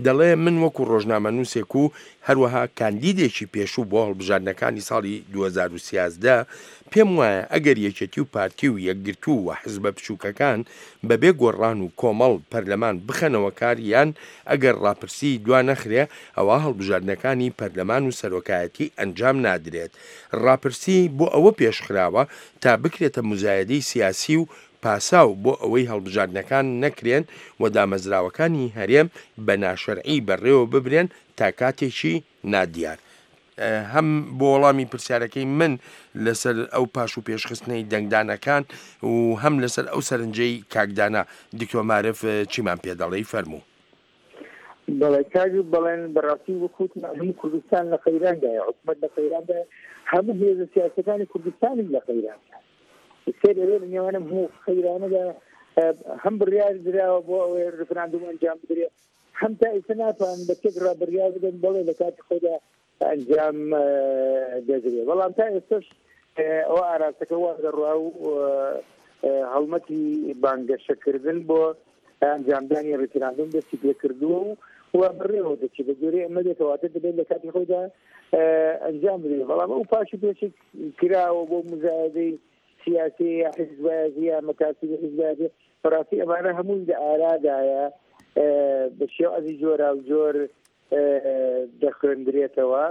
دەڵێ من وەکو ڕۆژنامەنووسێک و هەروەها کاندیدێکی پێشوو بۆ هەڵبژاردنەکانی ساڵی دوو هەزار و سیازدە پێم وایە ئەگەر یەکێتی و پارتی و یەکگرتوو و حزبە بچووکەکان بەبێ گۆڕان و کۆمەڵ پەرلەمان بخەنەوە کار، یان ئەگەر ڕاپرسی دوا نەخرێ ئەوە هەڵبژاردنەکانی پەرلەمان و سەرۆکایەتی ئەنجام نادرێت. ڕاپرسی بۆ ئەوە پێشخراوە تا بکرێتە مزایدەی سیاسی و پاساو بۆ ئەوەی هەڵبژاردنەکان نەکرێن و دامەزراوەکانی هەرێم بە ناشەرعی بەڕێوە ببرێن تا کاتێکی نادیار. هەم بۆ وەڵامی پرسیارەکەی من لەسەر ئەو پاش و پێشخستنەی دەنگدانەکان و هەم لەسەر ئەو سەرنجەی کاکدانا، دکتۆر مارف چیمان پێدەڵێی؟ فەرموو. بەڵێ کاک بەڵێن، بەڕاستی وەکوت هەموو کوردستان لە قەیراندایە، حکوومەت لە قەیراندایە، هەموو هێزە سیاسەکانی کوردستانیش لە قەیراندایە. سێر ئەوێ لە نێوانم هەموو قەیرانەدا هەم بڕیار دراوە بۆ ئەوەی ڕیفراندۆم ئەنجام بدرێت، هەم تا ئێستا ناتوانن بە تێکڕا بڕیار بدەن بەڵێ لە کاتی خۆیدا ئەنجام دەدرێت. بەڵام تا ئێستاش ئەوە ئاراستەکە وا دەڕوا و هەڵمەتی بانگەشەکردن بۆ ئەنجامدانی ڕیفراندۆم دەستی پێکردووە و و بڕێوە دەچێت. بە جۆرەی ئەمە دێتەواتە دەبێت لە کاتی خۆیدا ئەنجام بدرێت. بەڵام ئەو پاش و پێشێک کراوە بۆ مزایدەی سیاسی یا حیزبایەتی یا مەکاتبی حیزبایەتی، بەڕاستی ئەمانە هەمووی لە ئارادایە، بە شێوازی جۆراوجۆر دەخوێندرێتەوە.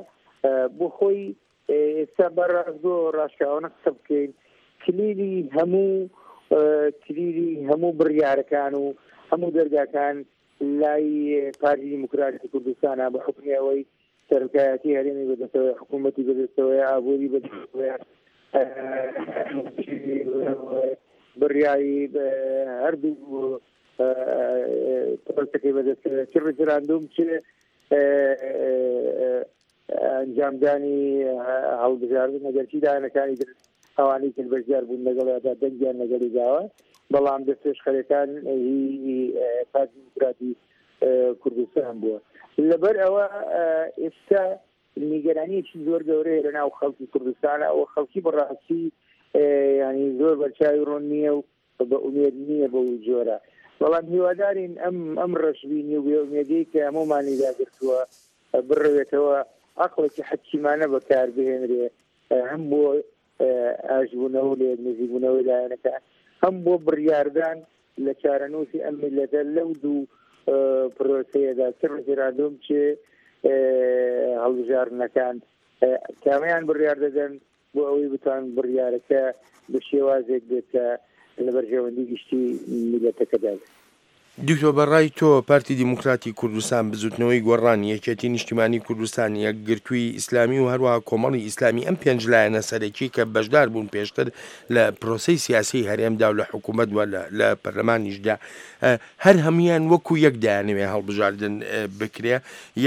بۆ خۆی ئێستا بە ڕاستگۆ ڕاشکاوانە قسە بکەین، کلیلی هەموو کلیلی هەموو بڕیارەکان و هەموو دەرگاکان لای پارتی دیموکراتی کوردستانە، بە حوکمی ئەوەی سەرۆکایەتی هەرێمی بەدەستەوەی، حکوومەتی بەدەستەوەی، ئابووری بەدەستەوەی، بڕیاری هەردوو پرۆسەکەی بەدەستەوەی، چ ڕیفراندۆم چ ئەنجامدانی هەڵبژاردن. ئەگەرچی لایەنەکانی تر ئەوانەی تر بەشدار بوون لەگەڵیدا دەنگیان لەگەڵی داوە، بەڵام دەستپێشخەرەکان هی پارتی دیموکراتی کوردستان بووە. لەبەر ئەوە ئێستا نیگەرانیەکی زۆر گەورەیە لە ناو خەڵکی کوردستانە و خەڵکی بەڕاستی ینی زۆر بەرچاوی ڕۆن نییە و بە ئومێد نییە بەو جۆرە. بەڵام هیوادارین ئەم ئەم ڕەشبینی و بێئومێدی کە هەموومانی داگرتووە بڕەوێتەوە، عەقڵێکی حەکیمانە بەکار بهێنرێ، هەم بۆ ئاشبوونەوە لە یەک نزیکبوونەوەی لایەنەکان، هەم بۆ بڕیاردان لە چارەنووسی ئەم میللەتە لەو دوو پرۆسەیەدا، چ ڕیفراندۆم چ هەڵبژاردنەکان، کامیان بڕیار دەدەن بۆ ئەوەی بتوان بڕیارەکە بە شێوازێک بێت کە لە بەرژەوەندی گشتی میللەتەکەدا بێت. دکتۆر بەڕای تۆ پارتی دیموکراتی کوردستان، بزوتنەوەی گۆڕان، یەکێتی نیشتیمانی کوردستان، یەکگرتووی ئیسلامی و هەروەها کۆمەڵی ئیسلامی، ئەم پێنج لایەنە سەرەکی کە بەشدار بوون پێشتر لە پرۆسەی سیاسی هەرێمدا و لە حکوومەت و لە پەرلەمانیشدا، هەر هەمویان وەکو یەک دایانەوێ هەڵبژاردن بکرێ،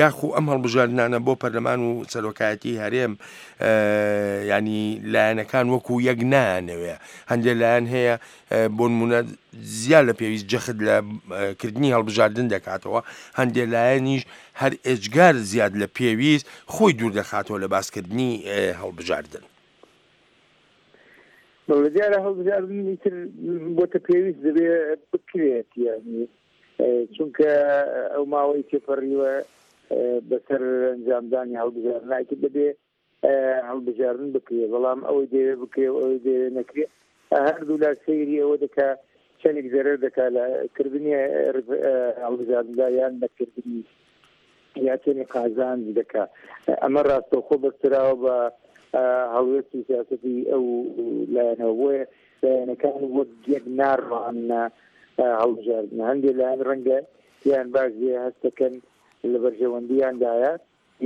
یاخو ئەم هەڵبژاردنانە بۆ پەرلەمان و سەرۆکایەتی هەرێم ینی لایەنەکان وەکو یەک نایانەوێ؟ هەندێک لایەن هەیە بۆ نمونە زیاد لە پێویست جەخت لە کردنی هەڵبژاردن دەکاتەوە، هەندێک لایەنیش هەر ئێجگار زیاد لە پێویست خۆی دوور دەخاتەوە لە باسکردنی هەڵبژاردن. بەڵێ دیارە هەڵبژاردن ئیتر بۆتە پێویست دەبێ بکرێت، یعنی چونکە ئەو ماوەی تێپەڕیوە بەسەر ئەنجامدانی هەڵبژاردن ئیتر دەبێ هەڵبژاردن بکرێت. بەڵام ئەوەی دەوێ بکرێ و ئەوەی دەوێ نەکرێ، هەردوو لا سەیری ئەوە دەکا چەندێک زەرەر دەکا لە کردنی هەڵبژاردندا یان نەکردنی، یا چەندێک قازانج دەکا. ئەمە ڕاستەوخۆ بەستراوە بە هەڵوێستی سیاسەتی ئەو لایەنەوە، بۆیە لایەنەکان وەک یەک ناڕواننە هەڵبژاردن. هەندێک لایەن ڕەنگە یان باش بێ هەستەکەن لە بەرژەوەندیاندایە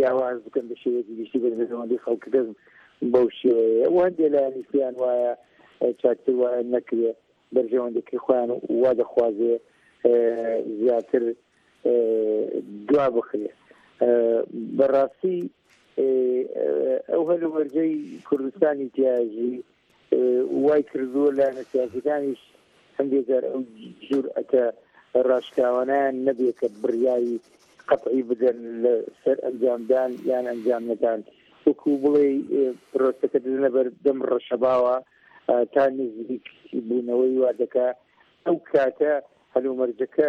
یا واز بکەن بە شێوەیەکی گشتی بەرژەوەندی خەڵکەکە بەو شێوەیە، و هەندێک لایەنیش پێیان وایە چاکتر وایە نەکرێ، بەرژەوەندەکەی خۆیان وا دەخوازێ زیاتر دوا بخرێ. بەڕاستی ئەو هەلومەرجەی کوردستانی تیاژی وای کردووە لایەنە سیاسەکانیش هەندێک جار ئەو جورئەتە ڕاشکاوانیان نەبێ کە بڕیاری قەتعی بدەن لەسەر ئەنجامدان یان ئەنجام نەدان، وەکو بڵێ پرۆسەکە دەدەنە بەردەم ڕەشەباوە تا نزیک بوونەوەی وا دەکا. ئەو کاتە هەلومەرجەکە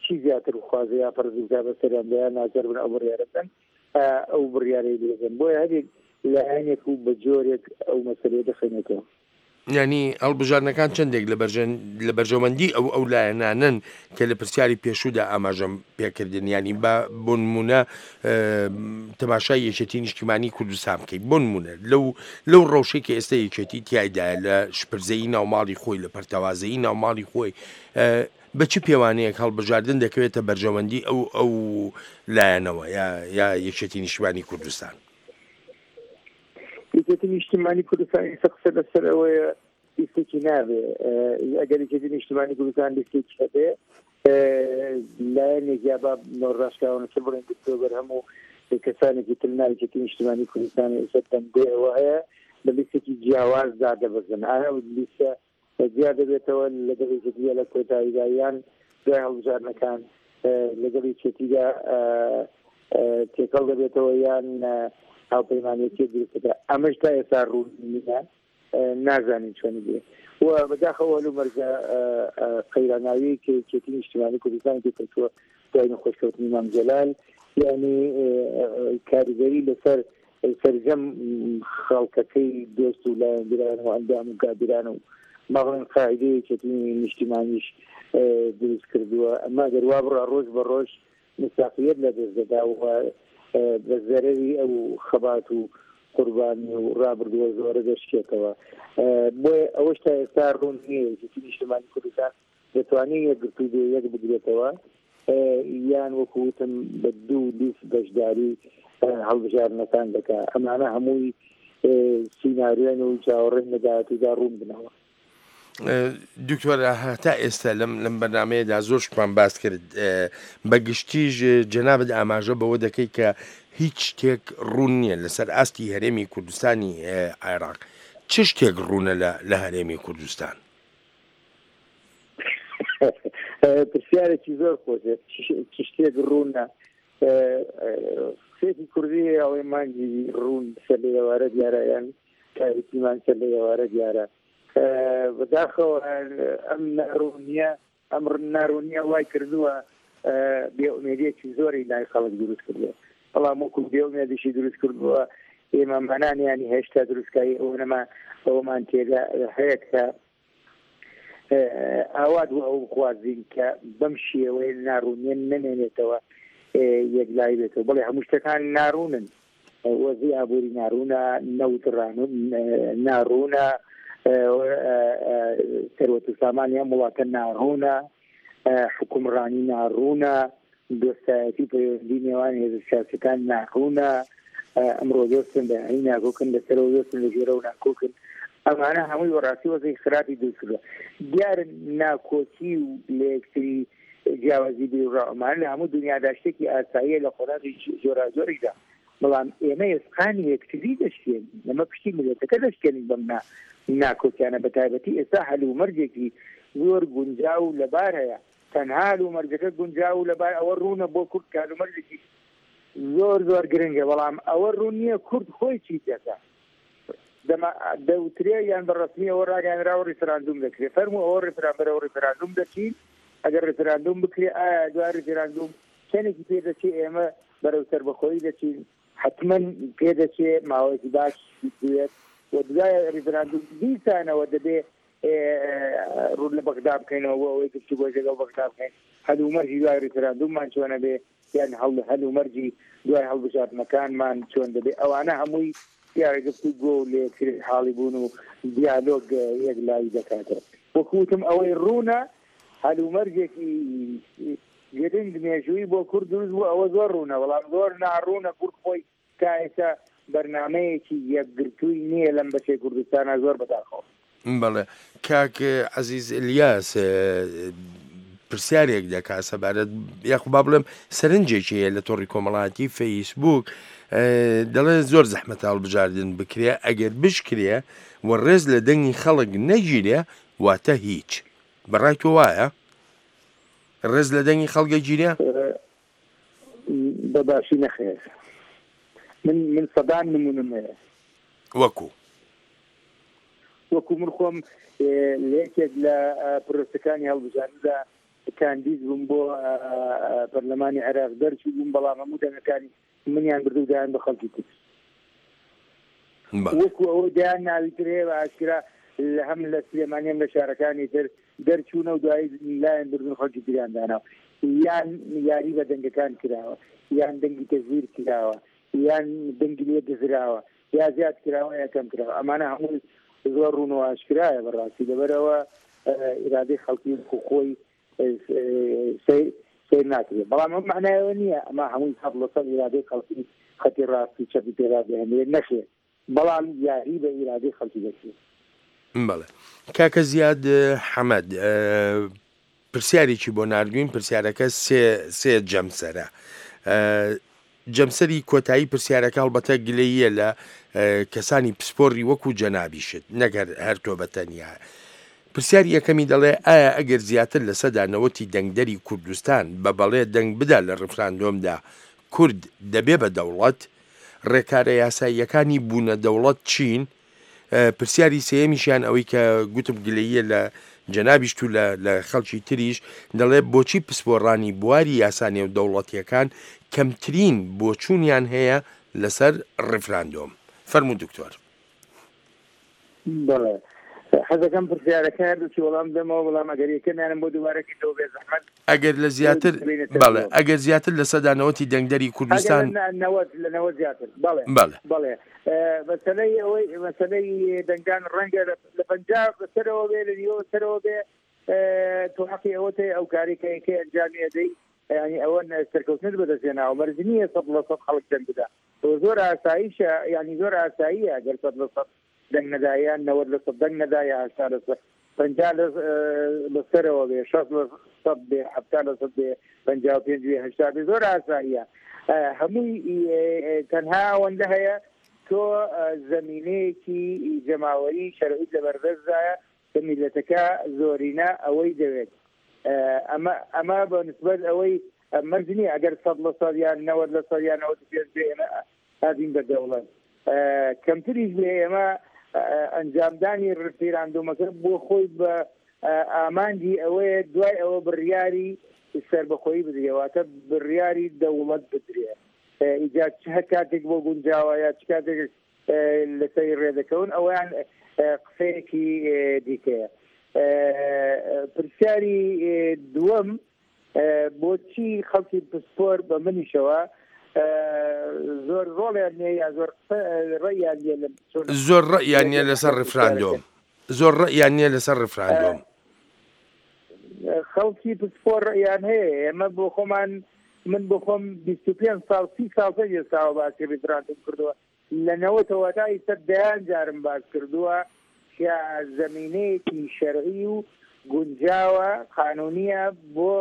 چی زیاتر بخوازێ یا فەرزی بکا بەسەریاندا یا ناچار بن ئەو بڕیارە بدەن، ئەو بڕیارەی لێدەن. بۆیە هەرێک لایەنێک و بە جۆرێک ئەو مەسەلەیە دەخوێنێتەوە. یعنی هەڵبژاردنەکان چەندێک لە بەرژەوەندی ئەو ئەو لایەنانن کە لە پرسیاری پێشوودا ئاماژەم پێکردن، یعنی با بۆ نمونە تەماشای یەکێتی نیشتیمانی کوردستان بکەیت، بۆ نمونە لەو لەو ڕەوشەی کە ئێستا یەکێتی تیایدایە لە شپرزەیی ناوماڵی خۆی، لە پەرتەوازەیی ناوماڵی خۆی، بە چ پێوانەیەک هەڵبژاردن دەکەوێتە بەرژەوەندی ئەو ئەو لایەنەوە یا یا یەکێتی نیشتیمانی کوردستان؟ یەکێتی نیشتیمانی کوردستان ئێستا قسە لەسەر ئەوەیە لیستێکی نابێ. ئەگەر یەکێتی نیشتیمانی کوردستان لیستێکی هەبێ، لایەنێک یا با ڕاشکاوانەتر بڵێن دکتۆر بەرهەم و کەسانێکی تر ناو یەکێتی نیشتیمانی کوردستان ئێستا دەنگۆی هەیە بە لیستێکی جیاواز دادەبەزن. ئایا ئەو لیستە جیا دەبێتەوە لەگەڵ یەکێتیدا لە کۆتاییدا یان دوای هەڵبژاردنەکان لەگەڵ یەکێتیدا تێکەڵ دەبێتەوە یان هاوپەیمانێتی دروستەکە؟ ئەمەش تا ئێستا ڕوون نییە، نازانین چۆنی بێ. و بەداخەوە هەلومەرجە قەیراناوی کە یەکێتی نیشتیمانی کوردستان تێکەوتووە دوای نەخۆشکەوتنی مام جەلال، یعنی کاریگەری لەسەر سەرجەم خەڵکەکەی دۆست و لایەنگران و ئەندام و کادیران و ماڵێن قاعدەی یەکێتی نیشتیمانیش دروست کردووە. ئەمە ئەگەر وا بڕا ڕۆژ بە ڕۆژ مستاقیەت لە دەست دەدا و بە زەرەری ئەو خەبات و قوربانی و ڕابردووە زۆرە دەشکێتەوە. بۆیە ئەوەش تا ئێستا ڕوون نییە یەکێتی نیشتیمانی کوردستان دەتوانێت یەکگرتوو بێ یەک بگرێتەوە یان وەکو وتم بە دوو لیست بەشداری هەڵبژاردنەکان دەکا. ئەمانە هەمووی سیناریۆن و چاوەڕێن لە داهاتوودا ڕوون بنەوە. دکتۆر تا ئێستا لەم لەم بەرنمەیەدا زۆر شتمان باس کرد، بە گشتیش جەنابت ئاماژە بەوە دەکەی کە هیچ شتێک ڕوون نییە لەسەر ئاستی هەرێمی کوردستانی عێراق. چ شتێک ڕوونە لە هەرێمی کوردستان؟ پرسیارێکی زۆر خۆشە. چ شتێک ڕوونە؟ قسەیەکی کوردی ئەوەی مانگی ڕوون سەر لە ئێوارە دیارە یان تاریکیمان سەر لە ئێوارە دیارە. بەداخەوە ئەم ناڕوونیە ئەم ناڕوونیە وای کردووە بێئومێدیەکی زۆری لای خەڵک دروست کردووە، بەڵام وەکو بێئومێدیشی دروست کردووە ئێمەمانان ینی هێشتا دروستکاری ئەوە نەما ئەوەمان تێدا هەیە کە ئاوات بۆ ئەو بخوازین کە بەم شێوەیە ناڕوونیە نەمێنێتەوە یەکلایی بێتەوە. بەڵێ هەموو شتەکان ناڕوونن، وەزی ئابووری ناڕوونە، نەوت ناڕوونە، سەروەت و سامانی ئەم وڵاتە ناڕوونە، حکومڕانی ناڕوونە، دۆستایەتی پەیوەندی نێوان هێزە سیاسەکان ناڕوونە، ئەمڕۆ دۆستن بەیانی ناکۆکن، لەسەرەوە دۆستن لە ژێرەوە ناکۆکن. ئەمانە هەمووی بەڕاستی وەزی خراپی دروست کردووە. دیارە ناکۆکی و لە یەکتری جیاوازی بیرڕا ئەمانە لە هەموو دنیادا شتێکی ئاساییە لە قۆناغی جۆراجۆریشدا، بەڵام ئێمە ئێسقانی یەکتری دەشکێنین، ئێمە پشتی میللەتەکە دەشکێنین بەم ناکۆکیانە. بە تایبەتی ئێستا هەلومەرجێکی زۆر گونجاو و لەبار هەیە، تەنها هەلومەرجەکە گونجاو و لەبار ئەوە ڕوونە بۆ کورد کە هەلومەرجێکی زۆر زۆر گرنگە، بەڵام ئەوە ڕوون نییە کورد خۆی چی دەکا. دەوترێ یان بە ڕەسمی ئەوە ڕاگەیانراوە ڕیفراندوم دەکرێت، فەرموو ئەوە ڕیفرا بەرەوە ڕیفراندوم دەچین. ئەگەر ڕیفراندوم بکرێ ئایا دوای ڕیفراندوم چەندێکی پێ دەچێ ئێمە بەرەو سەربەخۆیی دەچین؟ حتما پێ دەچێ ماوەیەکی باش بوێت و دوای ڕیفراندوم دیسانەوە دەبێ ڕوو لە بەغدا بکەینەوە بۆ ئەوەی گفتوگۆی لەگەڵ بەغدا بکەین. هەلومەرجی دوای ڕیفراندوممان چۆنە بێ یان هەلومەرجی دوای هەڵبژاردنەکانمان چۆن دەبێ؟ ئەوانە هەمووی دیارە گفتوگۆ و لێکتر حاڵی بوون و دیالۆگ یەکلایی دەکاتەوە. وەکوتم ئەوەی ڕوونە هەلومەرجێکی گرنگ مێژووی بۆ کورد دروست بوو، ئەوە زۆر ڕوونە، بەڵام زۆر ناڕوونە کورد خۆی تا ئێستا بەرنامەیەکی یەکگرتووی نییە لەم بەشەی کوردستانە، زۆر بەداخەوە. بەڵێ کاک عەزیز ئەلیاس پرسیارێک دەکا سەبارەت یاخو با بڵێم سەرنجێکی هەیە لە تۆڕی کۆمەڵایەتی فەیسبوک، دەڵێ زۆر زەحمەتە هەڵبژاردن بکرێ، ئەگەر بشکرێ و ڕێز لە دەنگی خەڵک نەگیرێ واتە هیچ. بەڕای تۆ وایە ڕێز لە دەنگی خەڵک گیرێ؟ بە باشی نەخێر. من من سەدان نمونم هەیە. وەکو وەکو من خۆم لە یەکێک لە پرۆسەکانی هەڵبژاردندا کاندید بووم بۆ پەرلەمانی عێراق، دەرچوو بووم، بەڵام هەموو دەنگەکانی منیان بردو دایان بە خەڵکی تر. وەکو ئەوە دایان ناوی تر هەیە بە ئاشکرا لە هەم لە سلێمانی هەم لە شارەکانی تر دەرچوونە و دوایی لایەن بردن خەڵکی تریان داناوە، یان یاری بە دەنگەکان کراوە، یان دەنگی تەزویر کراوە، یان دەنگی لێ دزراوە، یا زیاد کراوە یا کەم کراوە. ئەمانە هەمووی زۆر ڕوون و ئاشکرایە بەڕاستی. لەبەرەوە ئیرادەی خەڵکی خۆی سەیر ناکرێت، بەڵام ئەم معنایەوە نییە ئەمە هەمووی سەد لە سەد ئیرادەی خەڵکی خەتی ڕاستی چەپی پێدا بهێنرێت، نەخێر، بەڵام یاری بە ئیرادەی خەڵکی دەکرێت. بەڵێ کاکە زیاد حەمەد پرسیارێکی بۆ ناردوین، پرسیارەکە سێ سێ جەمسەرە. جەمسەری کۆتایی پرسیارەکە هەڵبەتە گلەییە لە کەسانی پسپۆڕی وەکو جەنابیشت، نەگەر هەر تۆ بە تەنیا. پرسیاری یەکەمی دەڵێ ئایا ئەگەر زیاتر لە سەدا نەوەتی دەنگدەری کوردستان بە بەڵێ دەنگ بدا لە ڕیفراندۆمدا کورد دەبێ بە دەوڵەت؟ ڕێکارە یاساییەکانی بوونە دەوڵەت چین؟ پرسیاری سێیەمیشیان ئەوەی کە گوتم گلەییە لە جەنابیشت و لە خەڵکی تریش، دەڵێ بۆچی پسپۆڕانی بواری یاسا نێودەوڵەتیەکان کەمترین بۆچوونیان هەیە لەسەر ڕیفراندۆم؟ فەرموو دکتۆر. بەڵێ حەزەکەم پرسیارەکە هەردووکی وەڵام بدەمەوە، بەڵام ئەگەر یەکەمیانم بۆ دووبارە کردەوە بێ زەحمەت. ئەگەر لە زیاتر بەڵێ ئەگەر زیاتر لە سەدا نەوەتی دەنگدەری کوردستان نەوەت لە نەوەت زیاتر. بەڵێ بەڵێ بەڵێ مەسەلەی ئەوەی مەسەلەی دەنگدان ڕەنگە لە پەنجا بەسەرەوە بێ، لە نیوە بەسەرەوە بێ، تۆ حەقی ئەوەت هەیە ئەو کاری کە یەکەی ئەنجامی ئەدەی، یعنی ئەوە سەرکەوتنت بەدەستهێناوە. مەرج نییە سەد لە سەد خەڵک دەنگ بدا، زۆر ئاساییشە، یعنی زۆر ئاساییە ئەگەر سەد لە سەد دەنگ نەدا یان نەوەد لە سەد دەنگ نەدا یا هەشتا لە سەد پەنجا لە سەرەوە بێ، شەست لە سەد بێ، حەفتا لە سەد بێ، پەنجا و پێنج بێ، هەشتا بێ، زۆر ئاساییە. هەمووی تەنها ئەوەندە هەیە تۆ زەمینەیەکی جەماوەری شەرعیت لەبەردەستدایە کە میللەتەکە زۆرینە ئەوەی دەوێت. ئەمە ئەمە بە نسبەت ئەوەی مەرج نییە ئەگەر سەد لە سەد یان نەوەد لە سەد یان نەوەد و پێنج بێ ئێمە ئەبین بە دەوڵەت، کەمتریش بێ ئێمە ئەنجامدانی ڕیفراندۆمەکە بۆ خۆی بە ئامانجی ئەوەیە دوای ئەوە بڕیاری سەربەخۆیی بدرێ، واتە بڕیاری دەوڵەت بدرێ. ئیجا چ هەر کاتێک بۆ گونجاوە یا چ کاتێک لەسەری ڕێدەکەون ئەویان قسەیەکی دیکەیە. پرسیاری دووەم، بۆچی خەڵکی پسپۆر بە منیشەوە زۆر ڕۆڵیان نییە یا زۆر ڕێیان نییە لە زۆر ڕێیان نییە لەسەر ڕیفراندۆم، زۆر ڕێیان نییە لەسەر ڕیفراندۆم. خەڵکی پسپۆر ڕێیان هەیە. ئێمە بۆ خۆمان، من بۆ خۆم بیست و پێنج ساڵ سی ساڵ پێش ئێستاوە باسی ڕیفراندۆم کردووە، لە نەوەتەوە تا ئێستا دەیان جارم باس کردووە کە زەمینەیەکی شەرعی و گونجاوە قانونیە بۆ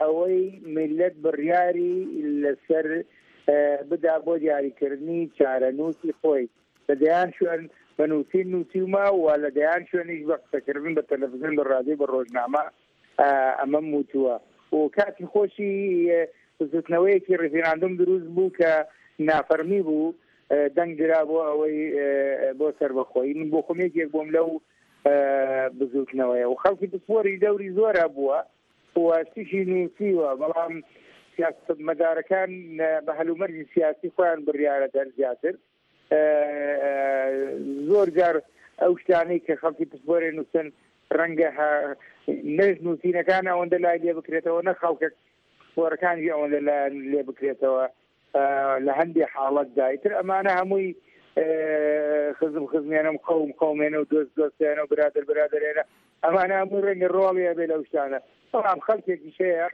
ئەوەی میللەت بڕیاری لەسەر بدا بۆ دیاریکردنی چارەنووسی خۆی. لە دەیان شوێن بە نووسین نووسیومە و لە دەیان شوێنیش بە قسەکردن بە تەلەڤزیۆن، بە ڕادیۆ، بە ڕۆژنامە ئەمەم وتووە. و کاتی خۆشی بزوتنەوەیەکی ڕیفراندۆم دروست بوو کە نافەرمی بوو، دەنگ درا بۆ ئەوەی بۆ سەربەخۆیی. من بۆ خۆم یەکێک بووم لەو بزوتنەوەیە و خەڵکی پسپۆری دەوری زۆر هەبووە و شتیشی نووسیوە، بەڵام سیاسەتمەدارەکان بە هەلومەرجی سیاسی خۆیان بڕیارە دەر زیاتر. زۆر جار ئەو شتانەی کە خەڵکی پسپۆرێ نووسن ڕەنگە نەش نووسینەکان ئەوەندە لای لێ بکرێتەوە، نە خەڵکە پسپۆرەکانیش ئەوەندە لایان لێ بکرێتەوە لە هەندێک حاڵەتدا. ئیتر ئەمانە هەمووی خزم خزمێنم، قەوم قەومێنە و دۆست دۆستێنە و برادەر برادەرێنە، ئەمانە هەمووی ڕەنگە ڕۆڵی هەبێ لەو شتانە. بەڵام خەڵکێکیش هەیە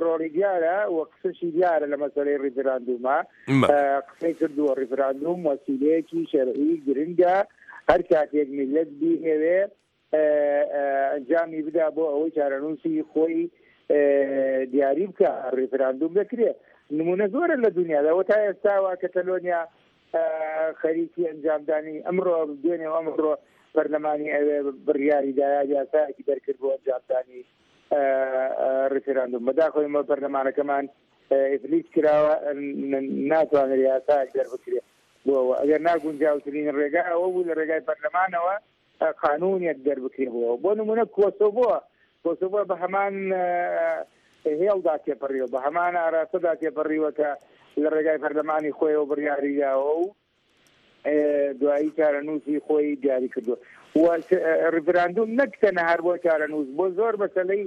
ڕۆڵی دیارە و قسەشی دیارە لە مەسەلەی ڕیفراندومە، قسەی کردووە. ڕیفراندوم وەسیلەیەکی شەرعی گرنگە، هەر کاتێک میللەت بیهەوێ ئەنجامی بدا بۆ ئەوەی چارەنووسی خۆی دیاری بکە، ڕیفراندوم دەکرێت. نمونە زۆرە لە دنیادا و تا ئێستاوە کەتەلۆنیا خەریکی ئەنجامدانی ئەمڕۆ دوێنێ و ئەمڕۆ پەرلەمانی ئەوێ بڕیاری دایا یاسایەکی دەرکرد بۆ ئەنجامدانی ڕیفراندوم. بەداخەوە ئێمە پەرلەمانەکەمان ئیفلیج کراوە، ناتوانێت یاسایەک دەربکرێت بۆ ئەوە. ئەگەر ناگونجاوترین ڕێگا ئەوە بوو لە ڕێگای پەرلەمانەوە قانونێک دەربکرێ بۆ. بۆ نمونە کۆسۆڤۆ، کۆسۆڤۆ بە هەمان هێڵدا تێپەڕیوە، بە هەمان ئاراستەدا تێپەڕیوە کە لە ڕێگای پەرلەمانی خۆیەوە بڕیاری داوە و دوایی چارەنووسی خۆی دیاری کردووە. و ڕیفراندوم نەک تەنها هەر بۆ چارەنووس، بۆ زۆر مەسەلەی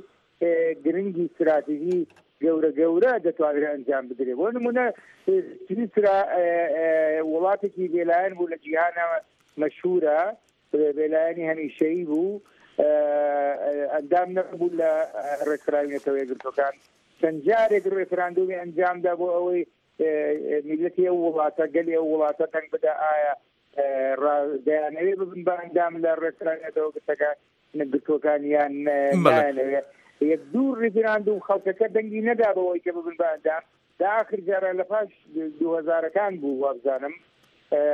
گرنگی استراتیژی گەورە گەورە دەتوانرێت ئەنجام بدرێت. بۆ نمونە سویسرا وڵاتێکی بێلایەن بوو لە جیهانە مەشهورە، بێلایەنی هەمیشەیی بوو، ئەندام نەبوو لە ڕێکخراوی نەتەوە یەکگرتووەکان. چەند جارێک ڕێفراندۆمی ئەنجامدا بۆ ئەوەی میللەتی ئەو وڵاتە، گەلی ئەو وڵاتە دەنگ بدا ئایا دەیانەوێ ببن بە ئەندام لە ڕێکخراوی نەتەوە یەکگرتووەکان یان نایانەوێ. یەک دوو ڕیفراندوم خەڵکەکە دەنگی نەدا بەوەی کە ببن بە ئەندام. لە ئاخر جارە لە پاش دوو هەزارەکان بوو وابزانم،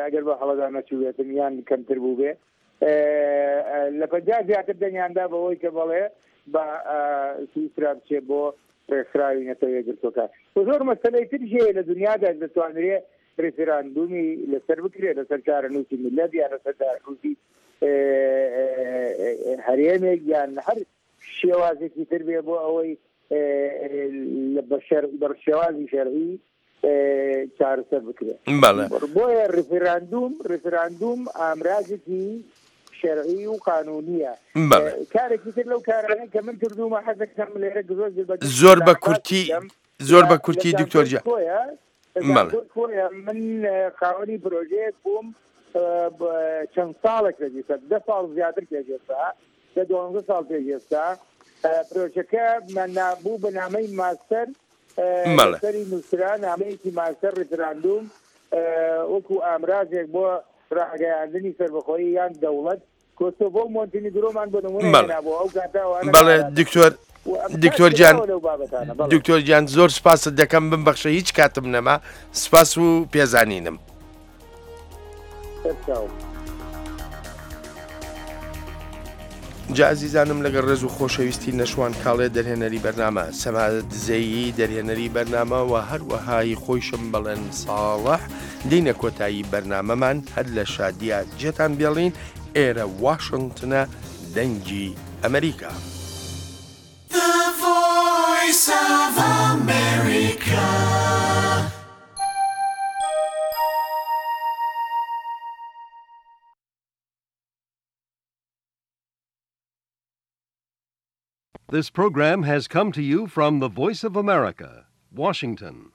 ئەگەر بە هەڵەدا نەچووبێتم یان کەمتر بوو بێ، لە پەنجا زیاتر دەنگیاندا بەوەی کە بەڵێ بە سویسرا بچێ بۆ ڕێکخراوی نەتەوە یەکگرتووەکان. و زۆر مەسەلەی تریش هەیە لە دنیادا دەتوانرێ ڕیفراندومی لەسەر بکرێت، لەسەر چارەنووسی میللەت یان لەسەر چارەنووسی هەرێمێک یان هەر شێوازێکی تر بێ بۆ ئەوەی بە شێوازی شەرعی چارەسەر بکرێت. بۆیە ڕیفراندوم ڕیفراندوم ئامرازێکی شەرعی و قانونیە. کارێکی تر لەو کارانەی کە من کردوومە حەز دەکەم لێرە زۆر بە کورتی زۆر بە کورتی دکتۆر جان. خۆیە من خاوەنی پرۆژەیەک بووم چەند ساڵێک پێش ئێستا، دە ساڵ زیاتر پێش ئێستا، دە دوانزە ساڵ پێش ئێستا، پرۆژەکە بوو بە نامەی ماستەر، سەری نووسرا نامەیەکی ماستەر ڕیفراندوم وەکو ئامرازێک بۆ ڕاگەیاندنی سەربەخۆیی یان دەوڵەت. کۆسۆڤۆ و مۆنتینیگرۆمان بۆ نمونە هێنابوو ئەو کاتە. بەڵێ دکتۆر دکتۆر گیان دکتۆر گیان زۆر سپاست دەکەم، بمبەخشە هیچ کاتم نەما، سپاس و پێزانینم. جا ئازیزانم لەگەڵ ڕێز و خۆشەویستی نەشوان کاڵێ دەرهێنەری بەرنامە، سەما دزەیی دەرهێنەری بەرنامە و هەروەها هی خۆیشم بەڵێن ساڵح دێینە کۆتایی بەرنامەمان هەر لە شادیا جێتان بێڵین ئێرە واشنتنە دەنگی ئەمریکا. The Voice of America. This program has come to you from the Voice of America, Washington.